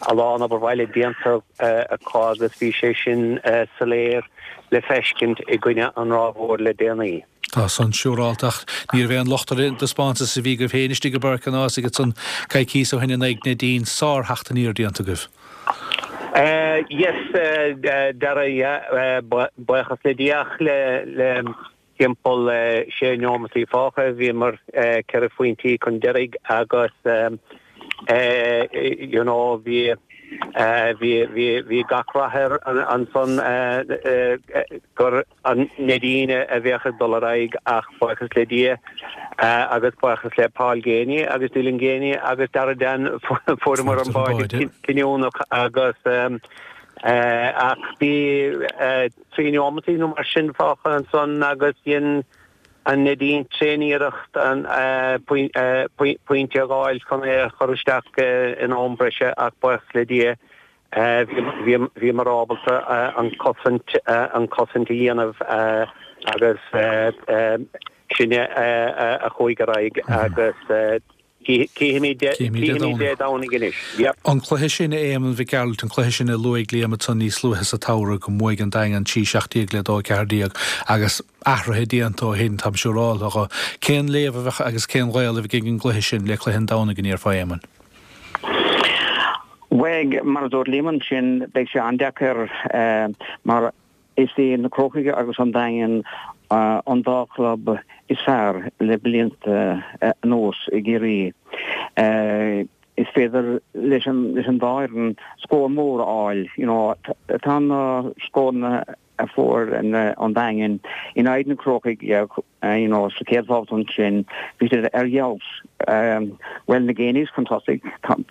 a lán obair bhaile déanta acu agus bhí sé sin soiléir le feiscint i gcoinne an Ráth Mhóir le déanaí. Tá san siúrálta ach ní raibh aon locht ar an dtaispeántas a bhí agaibh féin istigh i bPáirc an Ághasaigh ansan coicíos ó shin in aghaidh Neidín sár-theacht aniar déanta agaibh. Yes, Dara, yeah, buíochas le Dia ach le le timpeall sé neomataí fágtha bhíomar ceithre phointí chun deiridh agus you know bhí bhí bhí bhí gach rath air ansan gur an Neidín a bheadh ag dul ar aghaidh ach buíochas le Dia agus buíochas le Paul Geaney agus Dylan Geaney agus Dara Dan fuaireamar an báide cinniúnach agus ach bhí trí neomataí nó mar sin fágtha ansan agus dhein an Neidín tréaniarracht an pointe a fháil chun é a chur isteach in am breise ach buíochas le Dia bhíomar ábalta an cosaint an cosaint a dhéanamh agus sinne a chuaigh ar aghaidh agus cífimid Dé Domhnaigh anois. An cluiche sin, a Éamoinn Mhic Gearailt, an cluiche sin a luaigh Liam ansan níos luaithe sa tsamhradh go mbuaigh an Daingean trí seacht déag le dó a ceathair déag agus athruithe déanta ó shin, táim siúráltha. Cén léamh a bheadh agus cén gaol a bheidh ag an gcluiche sin le cluiche an Domhnaigh an ndéarfá, a Éamoinn? Bhuel, mar a dúirt Liam ansin, beidh sé an-deacair mar is é na Crócaigh agus an Daingean an dá chlub is fearr le blianta anuas i gCiarraí. Is féidir leis an dá fhoireann scór mór a fháil. You know, tá na scóranna a fuair an Daingean in aghaidh na Crócaigh you know, sa chéad bhabhta ansin, bhí siad ar fheabhas. Bhuel, na Geaneys chun tosaigh,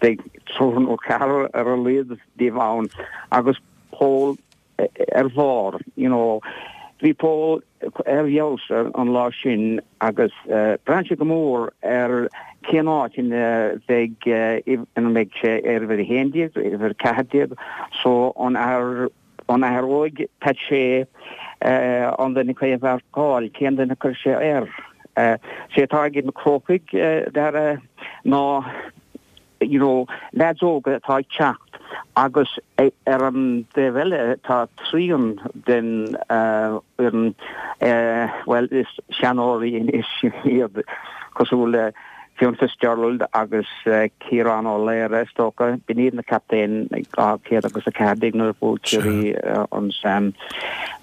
beidh triúr nó ceathrar ar a laghad díobh ann agus Pól ar bharr, you know. Bhí Pól ar fheabhas an lá sin agus braitheann sé go mór ar cén áit ina bheidh ina mbeidh sé ar uimhir a haon déag, uimhir a ceathair déag, so an an athróidh Pat Shea an duine a mharcáil, cén duine a chuir sé air. Sé atá ag na Crócaigh Dara ná you know, leaids óga atá ag teacht agus ar an dtaobh eile tá trian den fhoireann, bhuel is seanóirí anois iad cosúil le Fionn Fitzgerald agus Ciarán Ó Laoire is dócha, b'in iad na captaein dhá chéad agus a ceathair déag nuair a bhuaigh Ciarraí an Sam.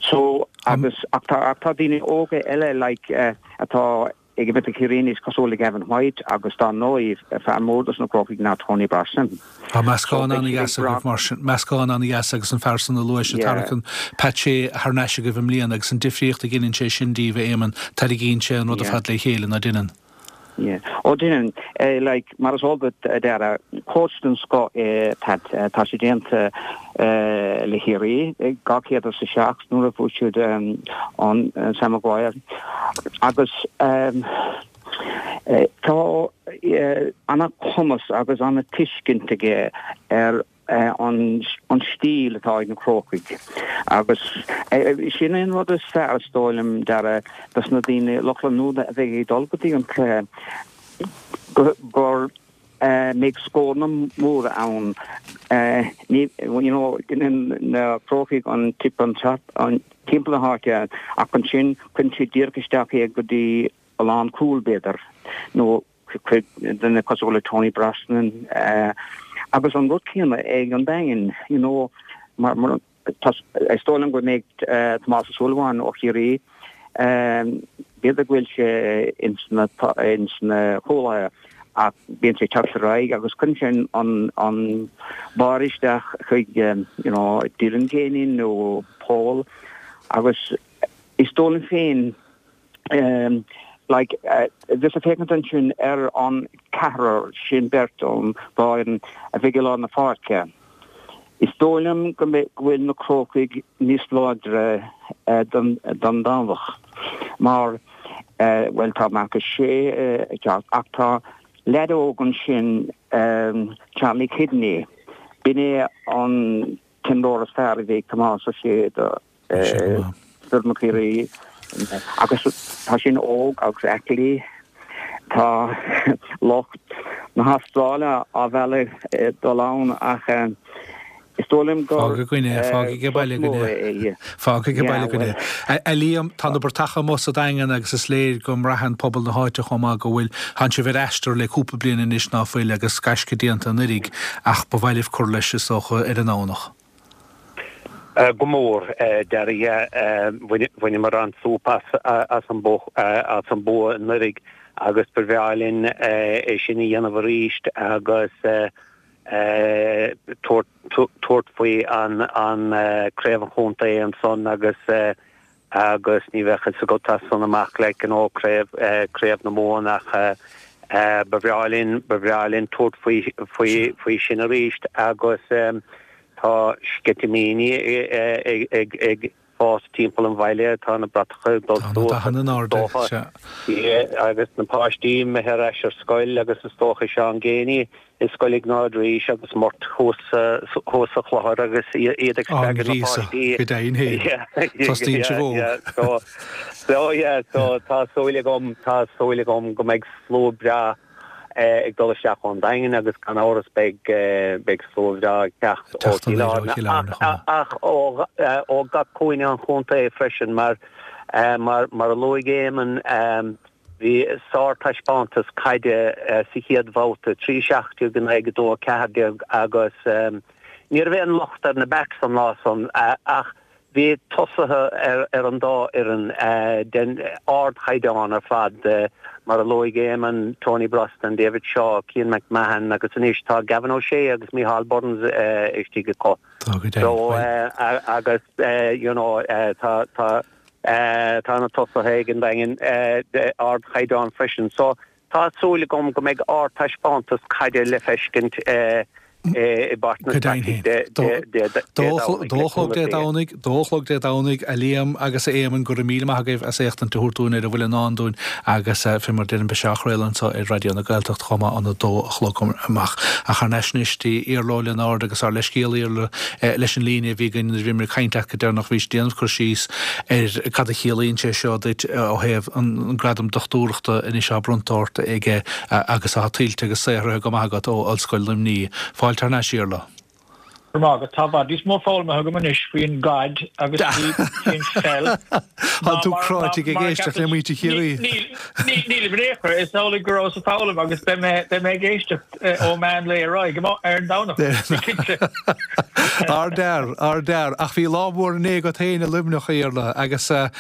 So agus ach tá ach tá daoine óga eile like atá ag imirt do Chiarraí anois cosúil le Gavin White agus dar ndóigh fear mór dos na Crócaigh ná Tony Brosnan. Tá meascán an-dheas agaibh mar sin, meascán an-dheas agus an fear san a luaigh sé tarraingíonn Pat Shea thar n-ais agaibh i mbliana agus an difríocht a dheineann sé sin díbh, a Éamoinn, tarraingíonn sé an rud ar fad le chéile, ná deineann? Yeah. Ó deineann. Like, mar is eol duit, a Dhara, coach den scoth é Pat. Tá sé déanta le Ciarraí, dhá chéad is a seacht nuair a bhuaigh siad an Sam Maguire. Agus tá ana-chumas agus ana-tuiscint aige ar an stíl atá ag na Crócaigh. Agus sin é an rud is fearr, is dóigh liom, Dara, dos na daoine, lucht leanúna a bheidh ag dul go dtí an cluiche, go mbeidh scóranna móra ann. Ní, you know, déanann na Crócaigh an tip an tap timpeall na háite ach ansin cuireann siad díreach isteach é go dtí a lánchúl, b'fhéidir, nó chuig duine cosúil le Tony Brosnan agus an rud céanna ag an Daingean, you know, mar mar is dóigh liom go mbeidh Tomás Ó Súilleabháin ó Chiarraí, b'fhéidir go bhfuil sé ins na ins na cúlaithe ach bíonn sé ag teacht ar aghaidh agus cuireann sé an an barr isteach chuig you know Dylan Geaney nó Paul agus is dóigh liom féin like bheas ag féachaint ansin ar an ceathrar sin beirt ón dá fhoireann a bheidh i lár na páirce. Is dóigh liom go mbeidh go bhfuil na Crócaigh níos láidre don don Domhnach mar bhuel tá Marcus Shea ag teacht ach tá leaid óg ansin Charlie Kidney b'in é an t-imreoir is fearr a bhí ag Tomás Ó Sé do Foireann Chiarraí agus tá sin óg agus aclaí. Tá lucht na hAstráile á mhealladh dul ann ach Is dóigh liom gur Fág againn é, fág ag baile againn é. Fág ag baile againn é. A Liam, tá na bratacha amuigh sa Daingean agus is léir go mbraitheann pobal na háite chomh maith go bhfuil tánn sibh ar aistear le cúpla bliain anois ná fuil agus gaisce déanta anuraidh ach ba mhaith libh cur leis is dócha ar an nDomhnach. Go mór Dara bhaineamar an-súp as as an as an bua anuraidh agus ba bhreá linn é sin a dhéanamh arís agus tabhairt faoi an an craobh an chontae ansan agus agus ní bheadh fhios agat as san amach like you know craobh craobh na Mumhan ach ba bhreá linn ba bhreá linn tabhairt faoi faoi faoi sin arís agus tá sceitimíní ag ag ag fás timpeall an bhaile, tá na bratacha ag dul suas is dócha, agus na páistí imithe ar ais ar scoil agus is dócha Seán Geaney i Scoil Iognáid Rís agus Murt thuas thuas sa Chlochar agus iad ag spreagadh na páistí. Go deimhin féin. Tostaíonn sibh óg. So, so yeah, so tá súil agam, tá súil agam go mbeidh slua breá ag dul isteach ón Daingean agus gan amhras beidh beidh slua bhreá ag teacht ó Chill Airne ach ó gach cúinne an chontae freisin mar mar mar a luaigh Éamonn bhí sártaispeántas caide sa chéad bhabhta, trí seacht déag in aghaidh a dó a ceathair déag agus ní raibh aon locht ar na backs an lá san ach Bhí tosaithe ar an dá fhoireann den ardchaighdeán ar fad, mar a luaigh Éamonn, Tony Brosnan, David Shaw, Cian McMahon agus anois tá Gavin O'Shea agus Micheál Burns istigh acu. So agus you know tá tá tá na tosaithe ag an Daingean ardchaighdeán freisin. So tá súil agam go mbeidh ardtaispeántas caide le feiscint i bPáirc na Staidí Dé Domhnaigh. Dó a chlog Dé Domhnaigh, dó a chlog Dé Domhnaigh, a Liam agus a Éamoinn, go raibh míle maith agaibh as éachtaint a thabhairt dúinn ar a bhfuil i ndán dúinn agus fé mar a deirim beidh sé á chraoladh anseo ar Raidió na Gaeltachta chomh maith óna dó a chlog amach. Ach thar n-ais anois dtí Iarla Ó Lionáird agus ár leithscéal Iarla leis an líne a bhí againn nuair a bhíomar ag caint leat go deireanach bhís ag déanamh cur síos ar cad a chiallaíonn sé seo duit ó thaobh an gradam dochtúireachta anois atá bronnta ort aige agus atá tuillte agus saothraithe go maith agat ó Ollscoil Luimnigh. Fáilte thar n-ais, Iarla. Go raibh maith agat. Tá i bhfad níos mó foghlamtha agam anois faoin gcaid agus faoin pheil Tá tú cráite ag éisteacht le muintir Chiarraí. Nílim in aon chor. Is amhlaidh go rabhas ag foghlaim agus beidh mé beidh mé ag éisteacht ó mheán lae ar aghaidh ar an Domhnach. Cinnte. Ardfhear, ardfhear. Ach bhí lá mór inné agat féin i Luimneach, a Iarla, agus an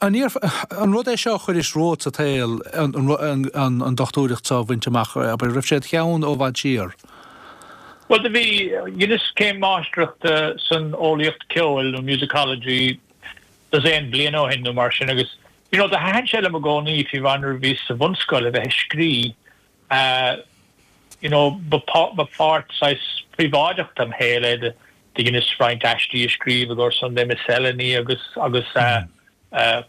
an rud é seo a chuiris romhat sa tsaol, an dochtúireacht seo a bhaint amach, abair, raibh sé id cheann ó i bhfad siar? Bhuel, do bhí, dheineas céim máistreachta san eolaíocht ceoil nó musicology dosaen bliain ó shin nó mar sin agus you know do thaitin sé liom i gcónaí fiú amháin nuair a bhíos sa bhunscoil a bheith ag scrí you know ba ba pháirt saghas príobháideach dem shaol é do dheineas roinnt aistí a scríobh i gcomhair Sunday Miscellany agus agus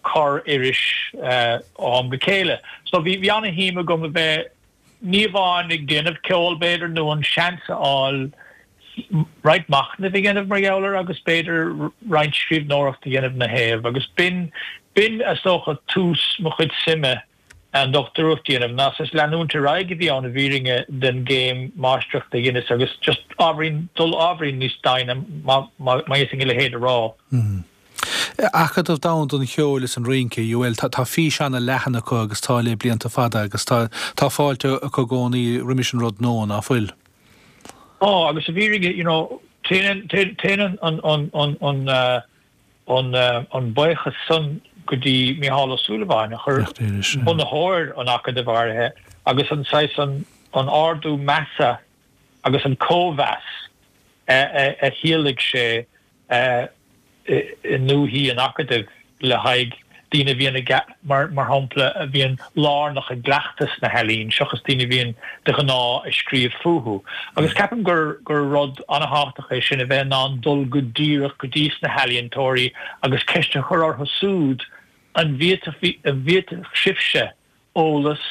corr-iris ó am go chéile. So bhí bhí ana-shuim agam a bheith ní amháin ag déanamh ceoil, b'fhéidir, nó an seans a fháil roinnt machnaimh a dhéanamh mar gheall air agus b'fhéidir roinnt scríbhneoireacht a dhéanamh ina thaobh. Agus b'in, b'in, is dócha, tús mo chuid suime an dochtúireacht a dhéanamh, ná saghas leanúint ar aghaidh a bhí ann i bhfírinne den gcéim máistreachta a dheineas agus just ábhairín, dul ábhairín níos doimhne, má, má fhéadfainn a leithéid a rá. Acadamh Domhanda an Cheoil is an Rince, UL, tá fís ana-leathan acu agus tá le blianta fada agus tá tá fáilte acu i gcónaí roimis an rud nua, ná fuil? Tá, agus i bhfírinne, you know, téann téann an an an an an an buíochas san go dtí Mícheál Ó Súilleabháin, a chuir bunaitheoir an Acadaimh áirithe, agus an saghas an an ardú measa agus an cóimheas a a thíolaic sé i ndúthaí an Acadaimh le haghaidh daoine a bhíonn ag, mar shampla, a bhíonn lárnach i gcleachtas na healaíon seachas daoine a bhíonn de ghnáth ag scríobh fúthu. Agus ceapaim gur gur rud an-thábhachtach é sin, a bheith in ann dul go díreach go dtí sna healaíontóirí agus ceist a chur orthu súd, an bhféadfadh sibhse eolas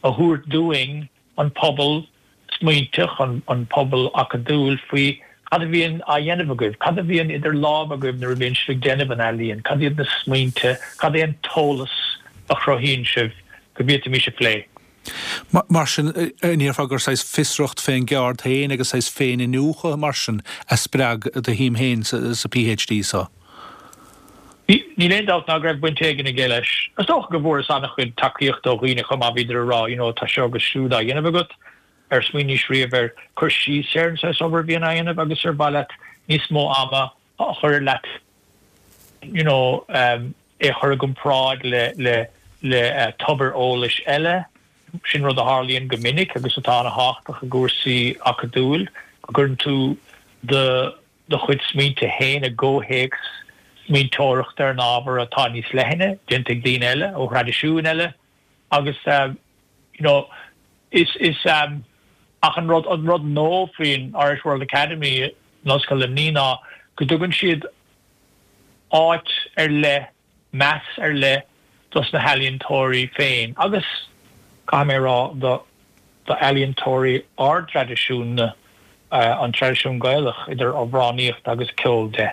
a thabhairt dúinn, an pobal smaointeach, an pobal acadúil, faoi cad a bhíonn á dhéanamh agaibh, cad a bhíonn idir lámha agaibh nuair a bhíonn sibh ag déanamh an ealaíon, cad iad na smaointe, cad é an t-eolas a chruthaíonn sibh go bhféadfaimis a phlé. Mar sin, an ndéarfá gur saghas fiosracht fén gceard féin agus saghas féin-iniúchadh mar sin a spreag do shuim féin sa PhD so? Níl aon dabht ná go raibh baint éigin aige leis. Is dócha go bhfuaireas an-chuid tacaíochta ó dhaoine chomh maith, bhíodar ag rá, you know, tá seo agus siúd á dhéanamh agat, ar smaoinís riamh ar cur síos ar an saghas obair a bhíonn á dhéanamh agus ar mhaith leat níos mó ama a chur ar leat, you know, é a chur i gcomparáid le, le, le tobair eolais eile. Sin rud a tharlaíonn go minic agus atá an-thábhachtach i gcúrsaí acadúil, go gcuireann tú do do chuid smaointe féin i gcomhthéacs smaointeoireachta ar an ábhar atá níos leithne, déanta ag daoine eile ó thraidisiúin eile agus you know is is ach an rud an rud nua faoin Irish World Academy in Ollscoil Luimnigh ná go dtugann siad áit ar leith, meas ar leith dos na healaíontóirí féin agus, caithfidh mé a rá, do d'ealaíontóirí ár dtraidisiún-na, an traidisiún Gaelach, idir amhránaíocht agus ceol de.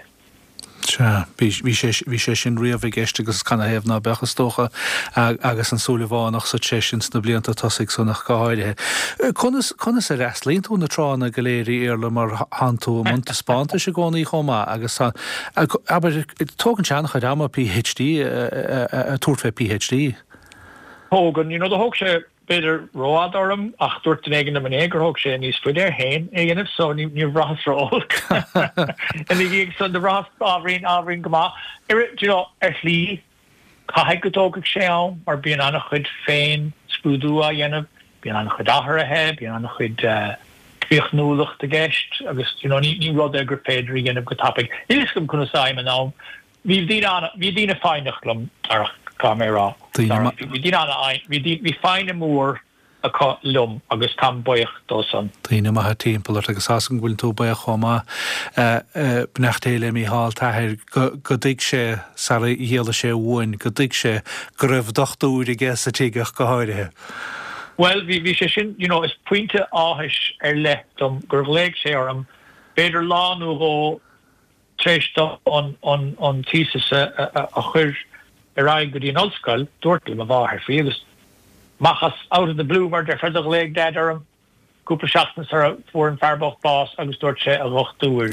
Sea, bhí, bhí sé, bhí sé sin riamh i gceist agus canathaobh ná beadh, is dócha, agus an Súilleabhánach sa treis ins na blianta tosaigh san ach go háirithe. Conas, conas a fhreastlaíonn tú na tránna go léir, a Iarla, mar thánn tú i mbun taispeántais i gcónaí chomh maith agus tá, abair, tógann sé an-chuid ama PhD a tabhairt fé PhD. Tógann, you know, do thóg sé b'fhéidir rófhada orm ach dúirt duine éigin liom inné gur thóg sé níos faide air féin é a dhéanamh so ní níor bhraitheas ró-olc ina dhiaidh san do bhraitheas ábhairín ábhairín go maith. Ar you know, ar shlí caithfidh go dtógfaidh sé am mar bíonn an-chuid féin-scrúdú á dhéanamh, bíonn an-chuid athruithe, bíonn an-chuid críochnúlacht i gceist agus you know, ní ní rud é gur féidir a dhéanamh go tapaidh. Níl fhios agam conas a fhaighim an am. Bhí daoine an bhí daoine foighneach liom, Darach, caithfidh mé a rá. Daoine Bhí daoine an bhí bhí foighne mór acu liom agus táim buíoch dó san. Daoine maithe timpeall ort agus tá's agam go bhfuil tú buíoch chomh maith, beannacht Dé le Mícheál, t'athair, go go dtuig sé, sara dhealaigh sé uainn, go dtuig sé go raibh dochtúir aige sa tigh ach go háirithe. Bhuel, bhí bhí sé sin, you know, is pointe áthais ar leith dom gur ghlaoigh sé orm, b'fhéidir lá nó dhó Tar éis dom an thesis a chur ar aghaidh go dtí an ollscoil, dúirt le mo mháthair faoi agus amach as out of the blue mar déarfá do ghlaoigh Dad orm cúpla seachtain sara fuair an fear bocht bás agus dúirt sé a dhochtúir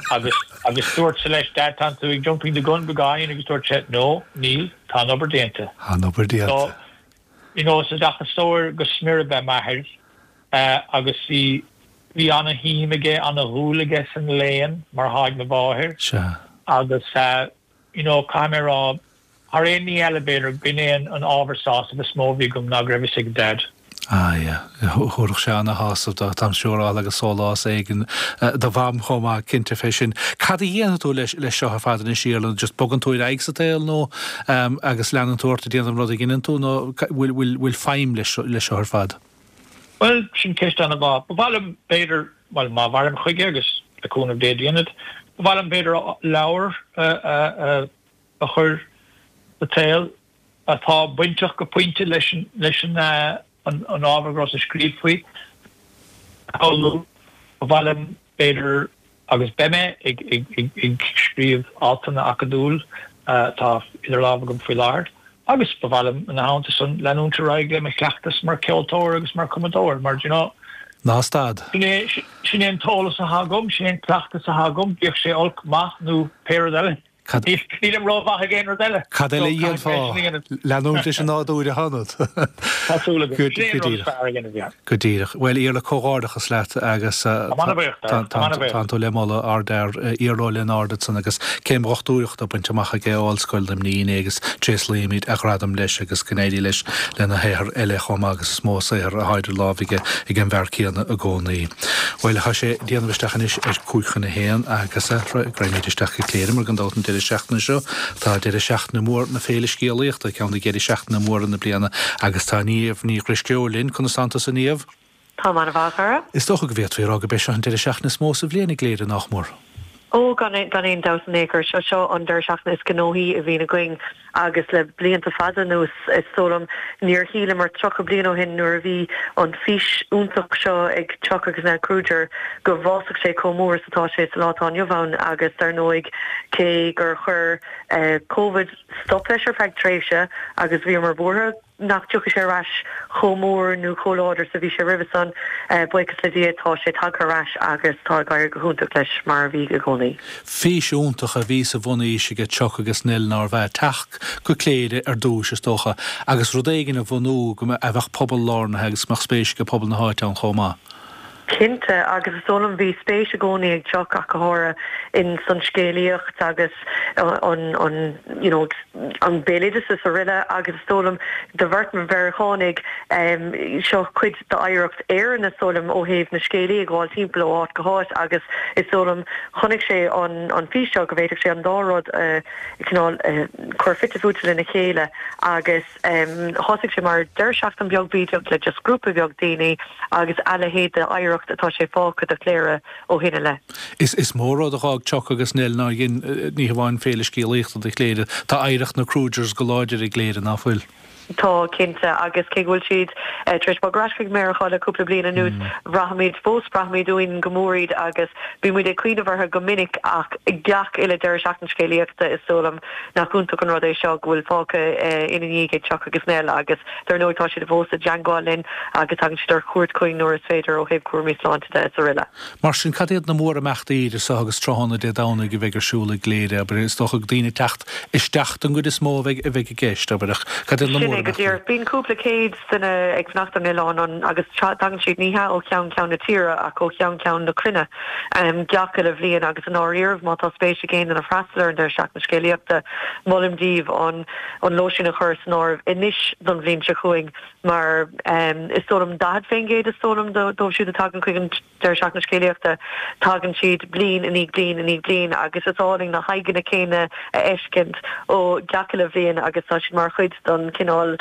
agus agus dúrtsa leis Dad tánn tú ag jumping the gun beagáinín agus dúirt sé no níl tá an obair déanta. Tá an obair déanta. So you know is oideachasóir go smior ab ea m'athair agus bhí Bhí ana-shuim aige, ana-dhúil aige san léann, mar atá ag mo mháthair. Sea. Agus, you know, caithfidh mé a rá, thar aon ní eile, b'fhéidir, b'in é an ábhar sásaimh is mó a bhí agam ná go raibh fhios ag Dad. Ah, yeah. Thabharfadh sé ana-shásamh dó, táim siúráilte, agus sólás éigin do Mham chomh maith, cinnte fé sin. Cad a dhéanfaidh tú leis, leis seo ar fad anois, Iarla? Just bogann tú ar aghaidh sa tsaol nó, agus leanann tú ort ag déanamh an rud a dheineann tú nó bhfuil, bhfuil, bhfuil feidhm leis, leis seo ar fad? Bhuel, sin ceist an-mhaith. Ba mhaith liom, b'fhéidir, bhuel, má mhairim chuige agus le cúnamh Dé déanfad, ba mhaith liom, b'fhéidir, leabhar a chur sa tsaol atá bainteach go pointe leis an, leis an, an ábhar go rabhas ag scríobh faoi. Ba mhaith liom, b'fhéidir, agus beidh mé ag scríobh altanna acadúil atá idir lámha agam faoi láthair agus ba mhaith liom ina theannta san leanúint ar aghaidh le mo chleachtas mar cheoltóir agus mar chumadóir mar d'you know Ná stad. sin é sin é an t-eolas atá agam, sin é an cleachtas atá agam, bíodh sé olc, maith nó pé rud eile. Cad. Nílim rómhaith ag aon rud eile. Cad eile a dhéanfá? Leanúint leis an nádúr a thionad. Tá súil agam. Sin é an rud is fearr a dhéanamh, yeah. Go díreach. Bhuel, Iarla, comhghairdeachas leat agus tánn tú le moladh, ardfhear, Iarla Ó Lionáird ansan agus céim dhochtúireachta bainte amach aige ó Ollscoil Luimnigh inné agus tréaslaímid a ghradam leis agus go n-éirí leis lena shaothar eile chomh maith agus is mó saothar atá idir lámha aige ag an bhfear céanna i gcónaí. Bhuel, tá sé ag déanamh isteach anois ar cúig chun a haon agus raghaimid isteach go Cléire mar gan dabht an deireadh seachtaine seo tá deireadh seachtaine mór na Féile Scéalaíochta, ceann de dheirí seachtaine móra na bliana agus tá Niamh Ní Dhrisceoil linn. Conas tánn tusa, Niamh? Táim an-mhaith, a chara. Is dócha go bhféadfaí a rá gurb é seo an deireadh seachtaine is mó sa bhliain i gCléire, nách mór? Ó, gan gan aon dabht in aon chor. Seo seo an deireadh seachtaine is gnóthaí a bhíonn againn agus le blianta fada anuas, is dóigh liom, níor shíleamar tríocha bliain ó shin nuair a bhí an fís iontach seo ag Chuck agus Nell Kruger go bhfásfadh sé chomh mór is atá sé sa lá atá inniu ann agus dar ndóigh cé gur chuir Covid stop leis ar feadh tréimhse agus bhíomar buartha nach dtiocfadh sé ar ais chomh mór nó chomh láidir is a bhí sé roimhe san, buíochas le Dia tá sé tagtha ar ais agus tá ag éirí go hiontach leis mar a bhí i gcónaí. Fís iontach a bhí sa bhunfhís ag Chuck agus Nell nárbh ea? Teacht go Cléire ar dtús is dócha agus rud éigin a bhunú go a bheadh pobal lárnaithe agus go mbeadh spéis ag pobal na háite ann chomh maith. Cinnte, agus is dóigh liom bhí spéis i gcónaí ag Chuck ach go háirithe in san scéalaíocht agus an an you know an béaloideas is araile agus is dóigh liom do bheirt Mheiriceánaigh seo cuid d'oidhreacht Éireann is dóigh liom ó thaobh na scéalaí ag gabháil timpeall ó áit go háit agus is dóigh liom chonaic sé an an fís seo go bhféadfadh sé an dá rud a cineál cur fite fuaite lena chéile agus thosaigh sé mar deireadh seachtain beag bídeach le just grúpa beag daoine agus a leithéid d'oidhreacht atá sé fágtha do Chléire ó shin i leith. Is is mór rud a dh'fhág Chuck agus Nell nár dhein ní hamháin féile scéalaíochta do Chléire, tá oidhreacht na Krugers go láidir i gCléire, ná fuil? Tá, cinnte, agus cé go bhfuil siad tar éis bogadh ar ais chuig Meiriceá le cúpla bliain anuas, braithimid fós, braithimid uainn go mór iad agus bíonn muid ag cuimhneamh orthu go minic ach gach uile deireadh seachtain scéalaíochta is dóigh liom nach iontach an rud é seo go bhfuil fágtha ina ndiaidh ag Chuck agus Nell agus dar ndóigh tá siad fós i dteangmháil linn agus tagann siad ar cuairt chugainn nuair is féidir ó thaobh cúraimí sláinte de is araile. Mar sin, cad iad na mórimeachtaí idir seo agus tráthnóna Dé Domhnaigh a bheidh ar siúl i gCléire, abair? Is dócha daoine ag teacht isteach don gcuid is mó a bheidh a bheidh i gceist, abair, ach cad iad na Sin é go mórimeachtaí? díreach. Bíonn cúpla céad duine ag fanacht ar an oileán agus tagann siad ní hea ó cheann ceann na tíre ach ó cheann ceann na cruinne gach uile bhliain agus i ndáiríribh má tá spéis ag aon duine freastal ar an deireadh seachtaine scéalaíochta molaim daoibh an an lóistín a chur san áireamh anois don bhliain seo chugainn mar is dóigh liom daichead faoin gcéad is dóigh liom dóibh siúd a tagann chuig an deireadh seachtaine scéalaíochta tagann siad bliain i ndiaidh bliain i ndiaidh bliain agus is álainn na haghaidheanna céanna a fheiscint ó gach uile bhliain agus tá siad mar chuid don cineál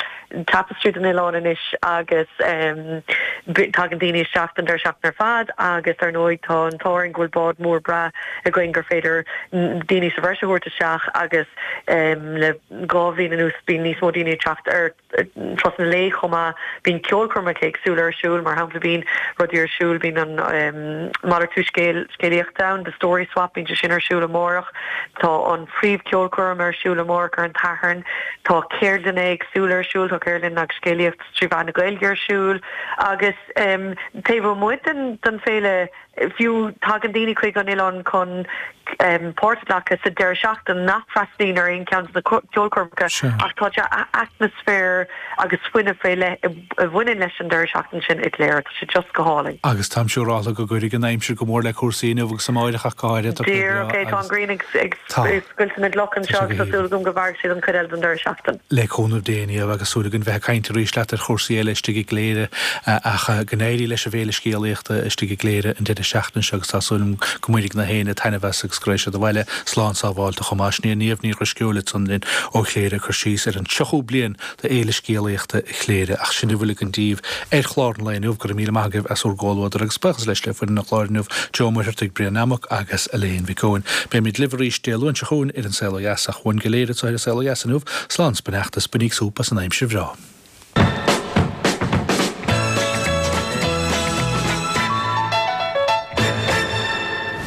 tapestry den oileán anois agus tagann daoine isteach don deireadh seachtaine ar fad agus ar ndóigh tá an t-ádh orainn go bhfuil bád mór breá againn gur féidir daoine sa bhreis a thabhairt isteach agus le dhá bhliain anuas bíonn níos mó daoine ag teacht ar turasanna lae chomh maith. Bíonn ceolchoirmeacha éagsúla ar siúl, mar shampla bíonn rudaí ar siúl, bíonn an malartú scéal scéalaíochta ann, The Story Swap, bíonn sé sin ar siúl amárach. Tá an phríomhcheolchoirm ar siúl amárach ar an tSatharn. Tá ceardlanna éagsúla ar siúl, tá ceardlann agus scéalaíocht trí mheán na Gaeilge ar siúl agus taobh amuigh den den féile, Fiú, tagann daoine chuig an oileán chun páirt a ghlacadh sa deireadh seachtaine nach bhfreastalaíonn ar aon cheann de na ceolchoirmeacha ach tá sé atmaisféar agus fuinneamh faoi leith a bhaineann leis an deireadh seachtaine sin i gCléire. Tá sé just go hálainn. Agus táim siúrálta go gcuirfidh an aimsir go mór le cúrsaí inniu agus amáireach ach go háirithe. Tá sé breá Díreach é, tá an ghrian ag scoilteadh na gcloch anseo agus tá súil agam go mairfidh sé don chuid eile den deireadh seachtaine. Le cúnamh Dé Niamh agus súil againn bheith ag caint arís leat ar chúrsaí eile istigh i gCléire ach go n-éirí leis an bhFéile Scéalaíochta istigh i gCléire an deireadh seachtaine seo agus tá súil agam go mbainfidh na héinne taitneamh as agus go raghaidh siad abhaile slán sábháilte chomh maith. Sin í Niamh Ní Dhrisceoil ansan linn ó Chléire ag cur síos ar an tríochú bliain de Fhéile Scéalaíochta Chléire. Ach sin a bhfuil againn daoibh ar chlár an lae inniu. Go raibh míle maith agaibh as bhur gcomhluadar agus buíochas leis le foireann an chláir inniu, Joe Ó Muircheartaigh, Brian Nammock agus Elaine Mhic Eoin. Beimid libh arís Dé Luain seo chugainn ar An Saol Ó Dheas ach uainn go léir anseo ar An Saol Ó Dheas inniu, slán 's beannacht is bainíg súp as an aimsir bhreá.